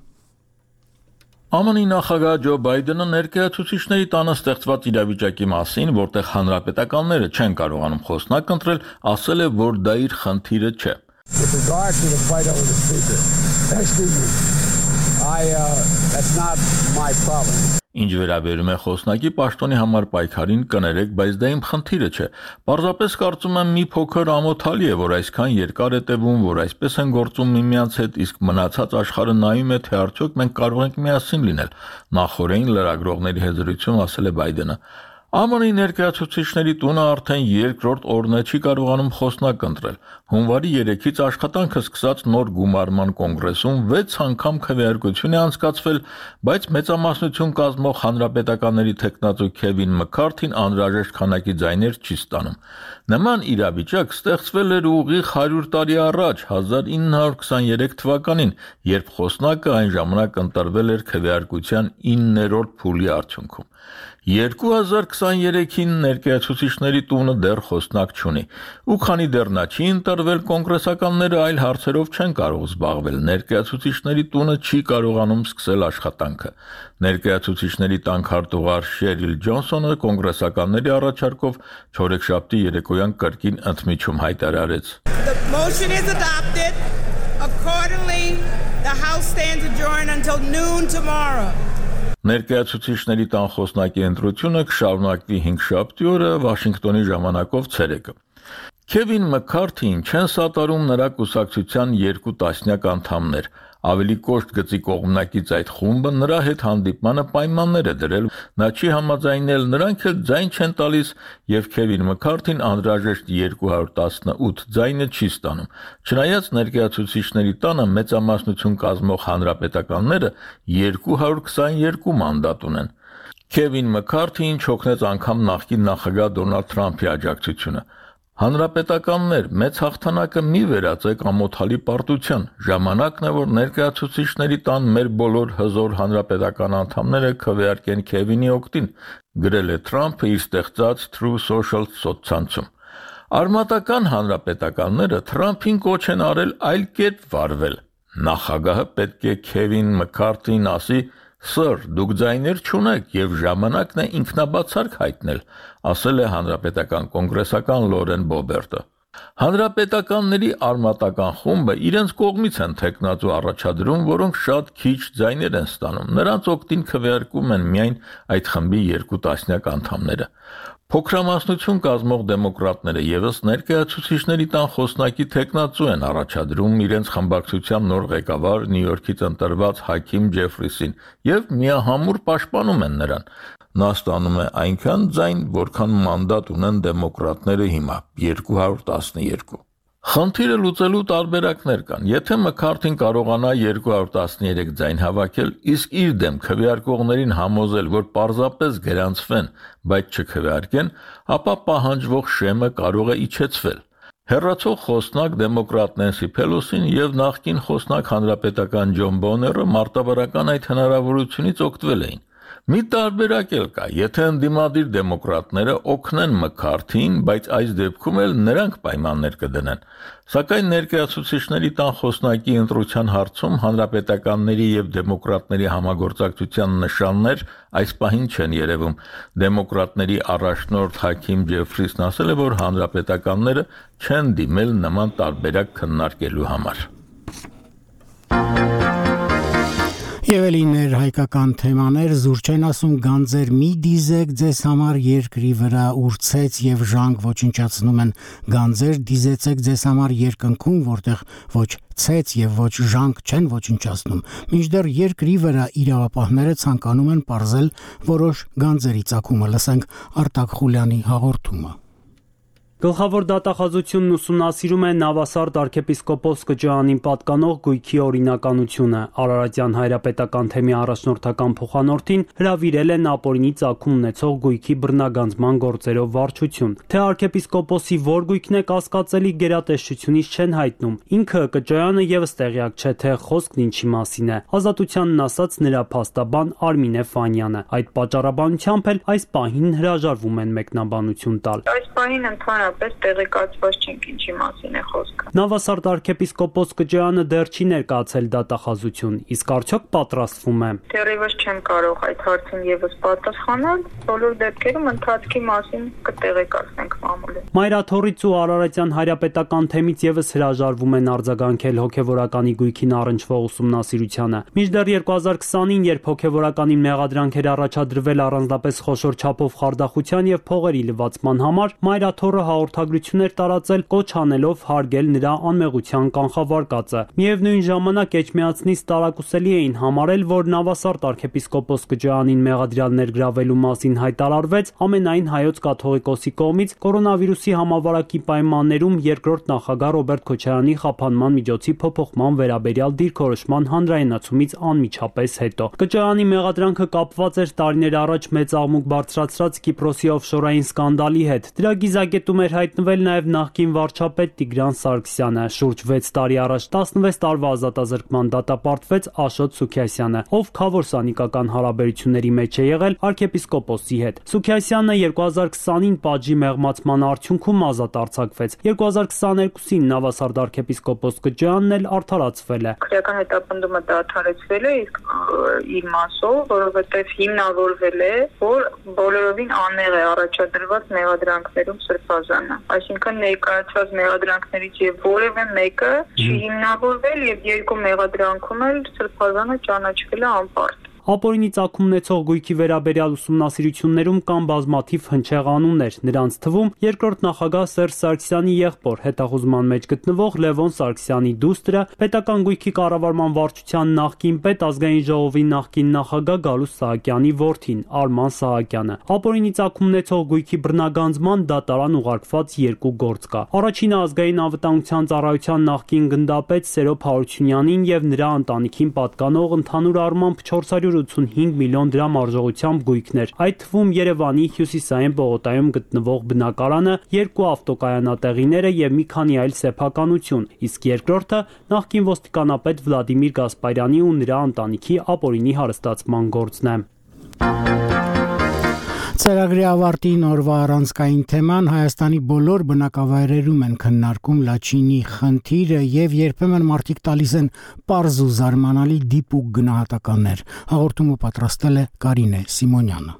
Է Մը նախագահ Ջո Բայդենը ներկայացուցիչների տանը ստեղծված իրավիճակի մասին, որտեղ հանրապետականները չեն կարողանում խոսնակ ընտրել, ասել է, որ դա իր խնդիրը չէ։ Ինչ վերաբերում է խոսնակի պաշտոնի համար պայքարին, կներեք, բայց դա իմ խնդիրը չէ։ Պարզապես կարծում եմ մի փոքր ամոթալի է, որ այսքան երկար է տևում, որ այսպես են գործում միմյանց հետ, իսկ մնացած աշխարհը նայում է, թե արդյոք մենք կարող ենք միասին լինել։ Նախորդին լրագրողների հետ զրույցում ասել է Բայդենը։ Է Մը ներկայացուցիչների տունը արդեն երկրորդ օրն է չի կարողանում խոսնակ ընտրել։ Հունվարի երեքից աշխատանքը սկսած նոր գումարման կոնգրեսում վեց անգամ քվեարկություն է անցկացվել, բայց մեծամասնություն կազմող հանրապետականների թեկնածու Քևին Մքարթին անհրաժեշտ քանակի ձայներ չի ստանում։ Նման իրավիճակ ստեղծվել էր ուղիղ հարյուր տարի առաջ, հազար ինը հարյուր քսաներեք թվականին, երբ խոսնակը այն ժամանակ ընտրվել էր քվեարկության իններորդ փուլի արդյունքում։ երկու հազար քսաներեքին ներկայացուցիչների տունը դեռ խոսնակ չունի, ու քանի դեռ նա չի ընտրվել, կոնգրեսականները այլ հարցերով չեն կարող զբաղվել, ներկայացուցիչների տունը չի կարողանում սկսել աշխատանքը։ Ներկայացուցիչների տան քարտուղար Շերիլ Ջոնսոնը կոնգրեսականների առաջարկով չորեքշաբթի երեկոյան կրկին ընդմիջում հայտարարեց. The motion is adopted. Accordingly, the House stands adjourned until noon tomorrow. Ներկայացուցիչների տան խոսնակի ընտրությունը կշարունակվի հինգշաբթի օրը Վաշինգտոնի ժամանակով ցերեկը։ Քևին Մքարթին չեն սատարում նրա կուսակցության երկու տասնյակ անդամներ։ Ավելի կոշտ գծի կողմնակից այդ խումբը նրա հետ հանդիպմանը պայմաններ է դրել, նա չի համաձայնել, նրանք էլ ձայն չեն տալիս եւ Քևին Մքարթին անհրաժեշտ երկու հարյուր տասնութ ձայնը չի ստանում։ Չնայած ներկայացուցիչների տանը մեծամասնություն կազմող հանրապետականները երկու հարյուր քսաներկու մանդատ ունեն։ Քևին Մքարթին չօգնեց անգամ նախկին նախագահ Դոնալդ Թրամփի աջակցությունը։ Հանրապետականներ, մեծ հաղթանակը մի վերածեք ամոթալի պարտության։ Ժամանակն է, որ ներկայացուցիչների տան մեր բոլոր հզոր հանրապետական անդամները քվեարկեն Քևինի օգտին, գրել է Թրամփը իր ստեղծած True Social սոցցանցում։ Արմատական հանրապետականները Թրամփին կոչ են արել այլ կերպ վարվել։ Նախագահը պետք է Քևին Մքարթին ասի. Սր, դուք ձայներ չունեք եւ ժամանակն է ինքնաբացարկ հայտնել, ասել է հանրապետական կոնգրեսական Լորեն Բոբերտը։ Հանրապետականների արմատական խումբը իրենց կողմից են թեկնածու առաջադրում, որոնք շատ քիչ ձայներ են ստանում։ Նրանց օգտին քվեարկում են միայն այդ խմբի երկու տասնյակ անդամները։ Փոքրամասնություն կազմող դեմոկրատները եւս ներկայացուցիչների տան խոսնակի թեկնածու են առաջադրում իրենց խմբակցության նոր ղեկավար Նյու Յորքից ընտրված Հաքիմ Ջեֆրիսին եւ միահամուռ պաշտպանում են նրան։ Նա ստանում է այնքան ձայն, որքան մանդատ ունեն դեմոկրատները հիմա՝ երկու հարյուր տասներեք։ Խնդիրը լուծելու տարբերակներ կան։ Եթե Մքարթին կարողանա երկու հարյուր տասներեք ձայն հավաքել, իսկ իր դեմ քվեարկողներին համոզել, որ պարզապես գրանցվեն, բայց չքվեարկեն, ապա պահանջվող շեմը կարող է իջեցվել։ Հեռացող խոսնակ դեմոկրատ Նենսի Փելոսին եւ նախկին խոսնակ հանրապետական Ջոն Բոները մարտավարական այդ հնարավորությունից օգտվել էին։ Մի տարբերակ էլ կա, եթե ընդդիմադիր դեմոկրատները օգնեն Մքարթին, բայց այս դեպքում էլ նրանք պայմաններ կդնեն։ Սակայն ներկայացուցիչների տան խոսնակի ընտրության հարցում հանրապետականների եւ դեմոկրատների համագործակցության նշաններ այս պահին չեն երևում։ Դեմոկրատների առաջնորդ Հաքիմ Ջեֆրիսն ասել է, որ հանրապետականները չեն դիմել նման տարբերակ քննարկելու համար։ Եվ էլիներ հայկական թեմաներ զուր չեն ասում գանձեր մի դիզեք ձեզ համար երկրի վրա ուրցեց եւ ժանկ ոչնչացնում են գանձեր դիզեցեք ձեզ համար երկնքում որտեղ ոչ ցեց եւ ոչ ժանկ չեն ոչնչացնում մինչդեռ երկրի վրա իրավապահները ցանկանում են պարզել որոշ գանձերի ծագումը լսենք Արտակ Խուլյանի հաղորդումը Գլխավոր դատախազությունն ուսումնասիրում է Նավասարդ arczepiskopos Կճարանին պատկանող գույքի օրինականությունը։ Արարատյան հայրապետական թեմի առաջնորդական փոխանորդին հրավիրել են ապօրինի ծագում ունեցող գույքի բռնագանձման գործերով վարչություն։ Թե arczepiskoposi որ գույքն է կասկածելի գերատեսչությունից չեն հայտնում։ Ինքը Կճարանը եւս տեղյակ չէ, թե խոսքն ինչի մասին է։ Ազատությանն ասած նրա փաստաբան Արմինե Ֆանյանը։ Այդ պատճառաբանությամբ էլ այս պահին հրաժարվում են մեկնաբանություն տալ։ Այս պահին ընդհանրապես ընդհանրապես տեղեկացված չենք ինչի մասին է խոսքը։ Նավասարդ arczepiskopos Կջյանը դեռ չի ներկայացել դատախազություն, իսկ արդյոք պատրաստվում է։ Դեռևս չեմ կարող այդ հարցին եւս պատասխանել, բոլոր դեպքերում ընթացքի մասին կտեղեկացնենք մամուլին։ Մայրաթորից ու Արարատյան հայրապետական թեմից եւս հրաժարվում են արձագանքել հոգեվորականի գույքին առնչվող ուսումնասիրությանը։ Մինչդեռ երկու հազար քսանին, երբ հոգեվորականին մեղադրանք էր առաջադրվել առանձնապես խոշոր չափով խարդախության եւ փողերի լվացման համար, Մայրաթորը հաղորդագրություն էր տարածել, կոչ անելով հարգել նրա անմեղության կանխավարկածը։ Միևնույն ժամանակ Էջմիածնից տարակուսելի էին համարել, որ Նավասարդ arczepiskopos Կջյանին մեղադրյալ ներգրավելու մասին հայտարարվեց ամենայն հայոց կաթողիկոսի կողմից կորոնավիրուսի համավարակի պայմաններում երկրորդ նախագահ Ռոբերտ Քոչարյանի խափանման միջոցի փոփոխման վերաբերյալ դիրքորոշման հանրայնացումից անմիջապես հետո։ Կջյանի մեղադրանքը կապված էր տարիներ առաջ մեծ աղմուկ բարձրացրած Կիպրոսի օֆշորային սկանդալի հետ։ Դրա գիզակետում էր հայտնվել նաև նախկին վարչապետ Տիգրան Սարգսյանը։ Շուրջ վեց տարի առաջ տասնվեց տարվա ազատազրկման դատապարտվեց Աշոտ Սուքիասյանը, ով քավոր սանիկական հարաբերությունների մեջ է եղել arczepiskopos-ի հետ։ Սուքիասյանը երկու հազար քսանին պատժի մեղմացման արդյունքում ազատ արձակվեց։ երկու հազար քսաներկուսին Նավասարդ arczepiskopos Կջյանն էլ արդարացվել է։ Քրեական հետապնդումը դադարեցվել է, իսկ իր մասով, որովհետև հիմնավորվել է, որ բոլորովին անմեղ է առաջադրված մեղադրանքներում Սրբազանը։ Այսինքն ներկայացված մեղադրանքներից եւ որևէ մեկը չի հիմնավորվել եւ երկու մեղադրանքում էլ Սրբազանը ճանաչվել է անպարտ։ Ապօրինի ծագում ունեցող գույքի վերաբերյալ ուսումնասիրություններում կան բազմաթիվ հնչեղ անուններ, նրանց թվում երկրորդ նախագահ Սերժ Սարգսյանի եղբոր, հետախուզման մեջ գտնվող Լևոն Սարգսյանի դուստրը, պետական գույքի կառավարման վարչության նախկին պետ, ազգային ժողովի նախկին նախագահ Գալուստ Սահակյանի որդին Արման Սահակյանը։ Ապօրինի ծագում ունեցող գույքի բռնագանձման դատարան ուղարկված երկու գործ կա։ Առաջինը ազգային անվտանգության ծառայության նախկին գնդապետ Սերոբ Հարությունյանին եւ նրա ընտանիքին պատկանող ընդհանուր առմամբ չորս հարյուր ութսունհինգ միլիոն դրամ արժողությամբ գույքներ, այդ թվում Երևանի հյուսիսային պողոտայում գտնվող բնակարանը, երկու ավտոկայանատեղիները եւ մի քանի այլ սեփականություն, իսկ երկրորդը նախկին ոստիկանապետ Վլադիմիր Գասպարյանի ու նրա ընտանիքի ապօրինի հարստացման գործն է։ Ծրագրի ավարտին օրվա առանցքային թեման Հայաստանի բոլոր բնակավայրերում են քննարկում Լաչինի խնդիրը եւ երբեմն մարդիկ տալիս են պարզ ու զարմանալի դիպուկ գնահատականներ։ Հաղորդումը պատրաստել է Կարինե Սիմոնյանը։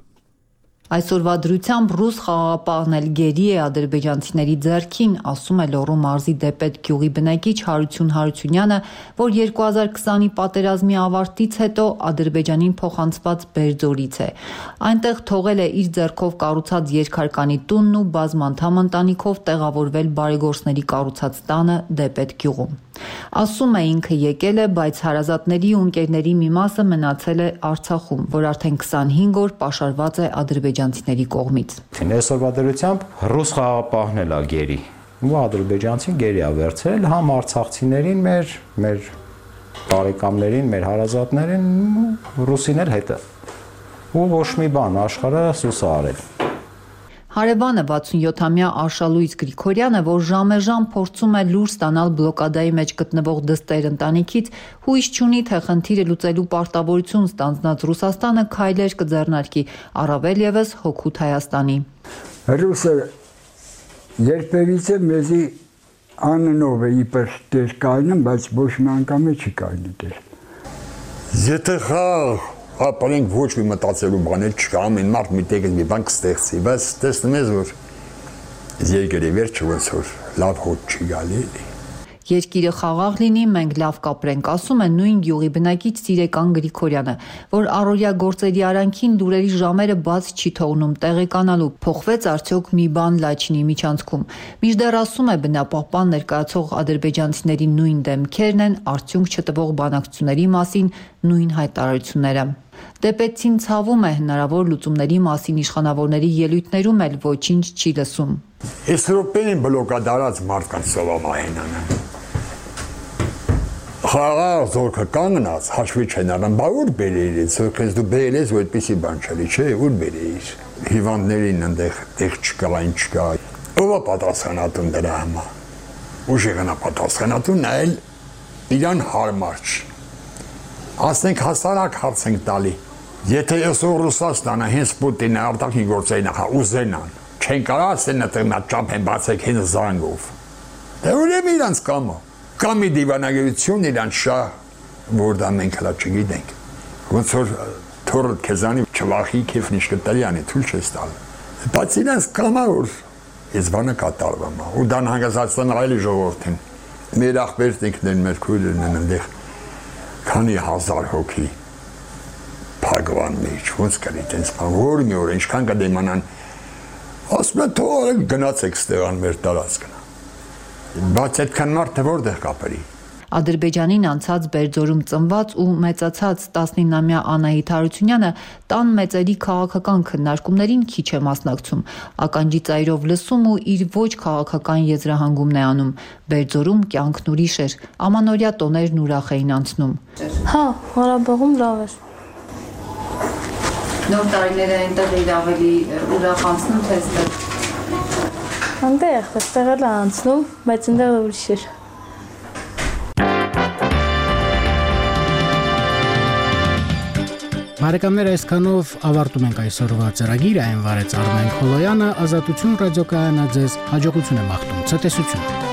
Այսօրվա դրությամբ ռուս խաղաղապահն էլ գերի է ադրբեջանցիների ձեռքին, ասում է Լոռու մարզի Դեպետ գյուղի բնակիչ Հարություն Հարությունյանը, որ երկու հազար քսանի պատերազմի ավարտից հետո Ադրբեջանին փոխանցված Բերձորից է։ Այնտեղ թողել է իր ձեռքով կառուցած երկհարկանի տունն ու բազմանդամ ընտանիքով տեղավորվել բարեգործների կառուցած տանը Դեպետ գյուղում։ Ասում է ինքը եկել է, բայց հարազատների ու ընկերների մի մասը մնացել է Արցախում, որ արդեն քսանհինգ օր պաշարված է ադրբեջանցիների կողմից։ Այսօրվա դրությամբ ռուս խաղաղապահն էլ է գերի, ու ադրբեջանցին գերի է վերցրել համ արցախցիներին, մեր մեր բարեկամներին, մեր հարազատներին, ռուսին էլ հետը։ Ու ոչ մի բան, աշխարհը սուս է արել։ Հարևանը վաթսունյոթամյա Արշալույս Գրիգորյանը, որ ժամեժամ փորձում է լուր ստանալ բլոկադայի մեջ գտնվող դստեր ընտանիքից, հույս չունի, թե խնդիրը լուծելու պարտավորություն ստանձնած Ռուսաստանը քայլեր կձեռնարկի, առավել եւս հօգուտ Հայաստանի։ Ռուսը երբևիցե մեզի աննով է իբր դեր կայնում, բայց ոչ մի անգամ չի կայնի դեր։ Եթե խաղ ապրանք ոչ մի մտածելու բաներ չկա, ամեն մարդ մի տեղ մի բան կստեղծի, բայց տեսնում ես, որ երկրի վերջը ոնց որ լավ հոտ չի գալի։ Երկիրը խաղաղ լինի, մենք լավ կապրենք, ասում է նույն գյուղի բնակիչ Սիրեկան Գրիգորյանը, որ առօրյա գործերի արանքին լուրերի ժամերը բաց չի թողնում տեղեկանալու, փոխվեց արդյոք մի բան Լաչինի միջանցքում։ Մինչդեռ ասում է բնապահպան ներկայացող ադրբեջանցիների նույն դեմքերն են արդյունք չտվող բանակցությունների մասին նույն հայտարարությունները։ Դեպեցին ցավում է հնարավոր լուծումների մասին իշխանավորների ելույթներում էլ ոչինչ չի լսում։ Այս ռոպեին բլոկադարած մարդկանց սովամահենանը։ Խաղաղ զորքը կանգնած հաշվի չեն առնում, բա ուր բերեիր, զորքես դու բերել ես, որ այդպեսի բան չլի, չէ, ուր բերեիր։ Հիվանդներին այնտեղ տեղ չկա, այն չկա։ Ո՞վ է պատասխանատուն դրա համար։ Ուժեղն է պատասխանատուն, այլ իրան հարմար չի։ Ասենք հասարակ հարց ենք տալի։ Եթե այսօր Ռուսաստանը հենց Պուտինը արտաքին գործերի նախա ուզենան, չեն կարող ասեն նա ճապ են բացեք հենց զանգով։ Դե ուրեմն իրանց կամը։ Կամ մի դիվանագիտություն իրանց շահ, որ դա մենք հլա չգիտենք։ Ոնց որ թորը քեզանի չվախի քեֆն ինչ կտալի անի թույլ չես տալ։ Բայց իրանց կամա որ ես բանը կատարվում է։ Ու դան հանգստացան այլ ժողովրդին։ Մեր աղբերտիկներն, մեր քույրերն են այնտեղ քանի հազար հոգի Փագվան մեջ, ոնց կլի տենց բան, որ մի օր ինչքան կդիմանան, ասում են թող գնացեք ստեղան մեր տարածքն։ Բայց այդքան մարդը որտեղ կապերի։ Ադրբեջանին անցած Բերձորում ծնված ու մեծացած տասնինամյա Անահիտ Հարությունյանը տան մեծերի քաղաքական քննարկումներին քիչ է մասնակցում, ականջի ծայրով լսում ու իր ոչ քաղաքական եզրահանգումն է անում։ Բերձորում կյանքն ուրիշ էր, ամանորյա տոներն ուրախ էին անցնում։ Հա, Ղարաբաղում լավ էր։ Նոր տարիները այնտեղ էր ավելի ուրախ անցնում, թե այստեղ։ Այնտեղ, այստեղ էլ անցնում, բայց այնտեղ ուրիշ էր։ Բարեկամներ, այսքանով ավարտում ենք այսօրվա ծրագիրը, այն վարեց Արմեն Խոլոյանը, Ազատություն ռադիոկայանը ձեզ հաջողություն է մաղթում, ցտեսություն։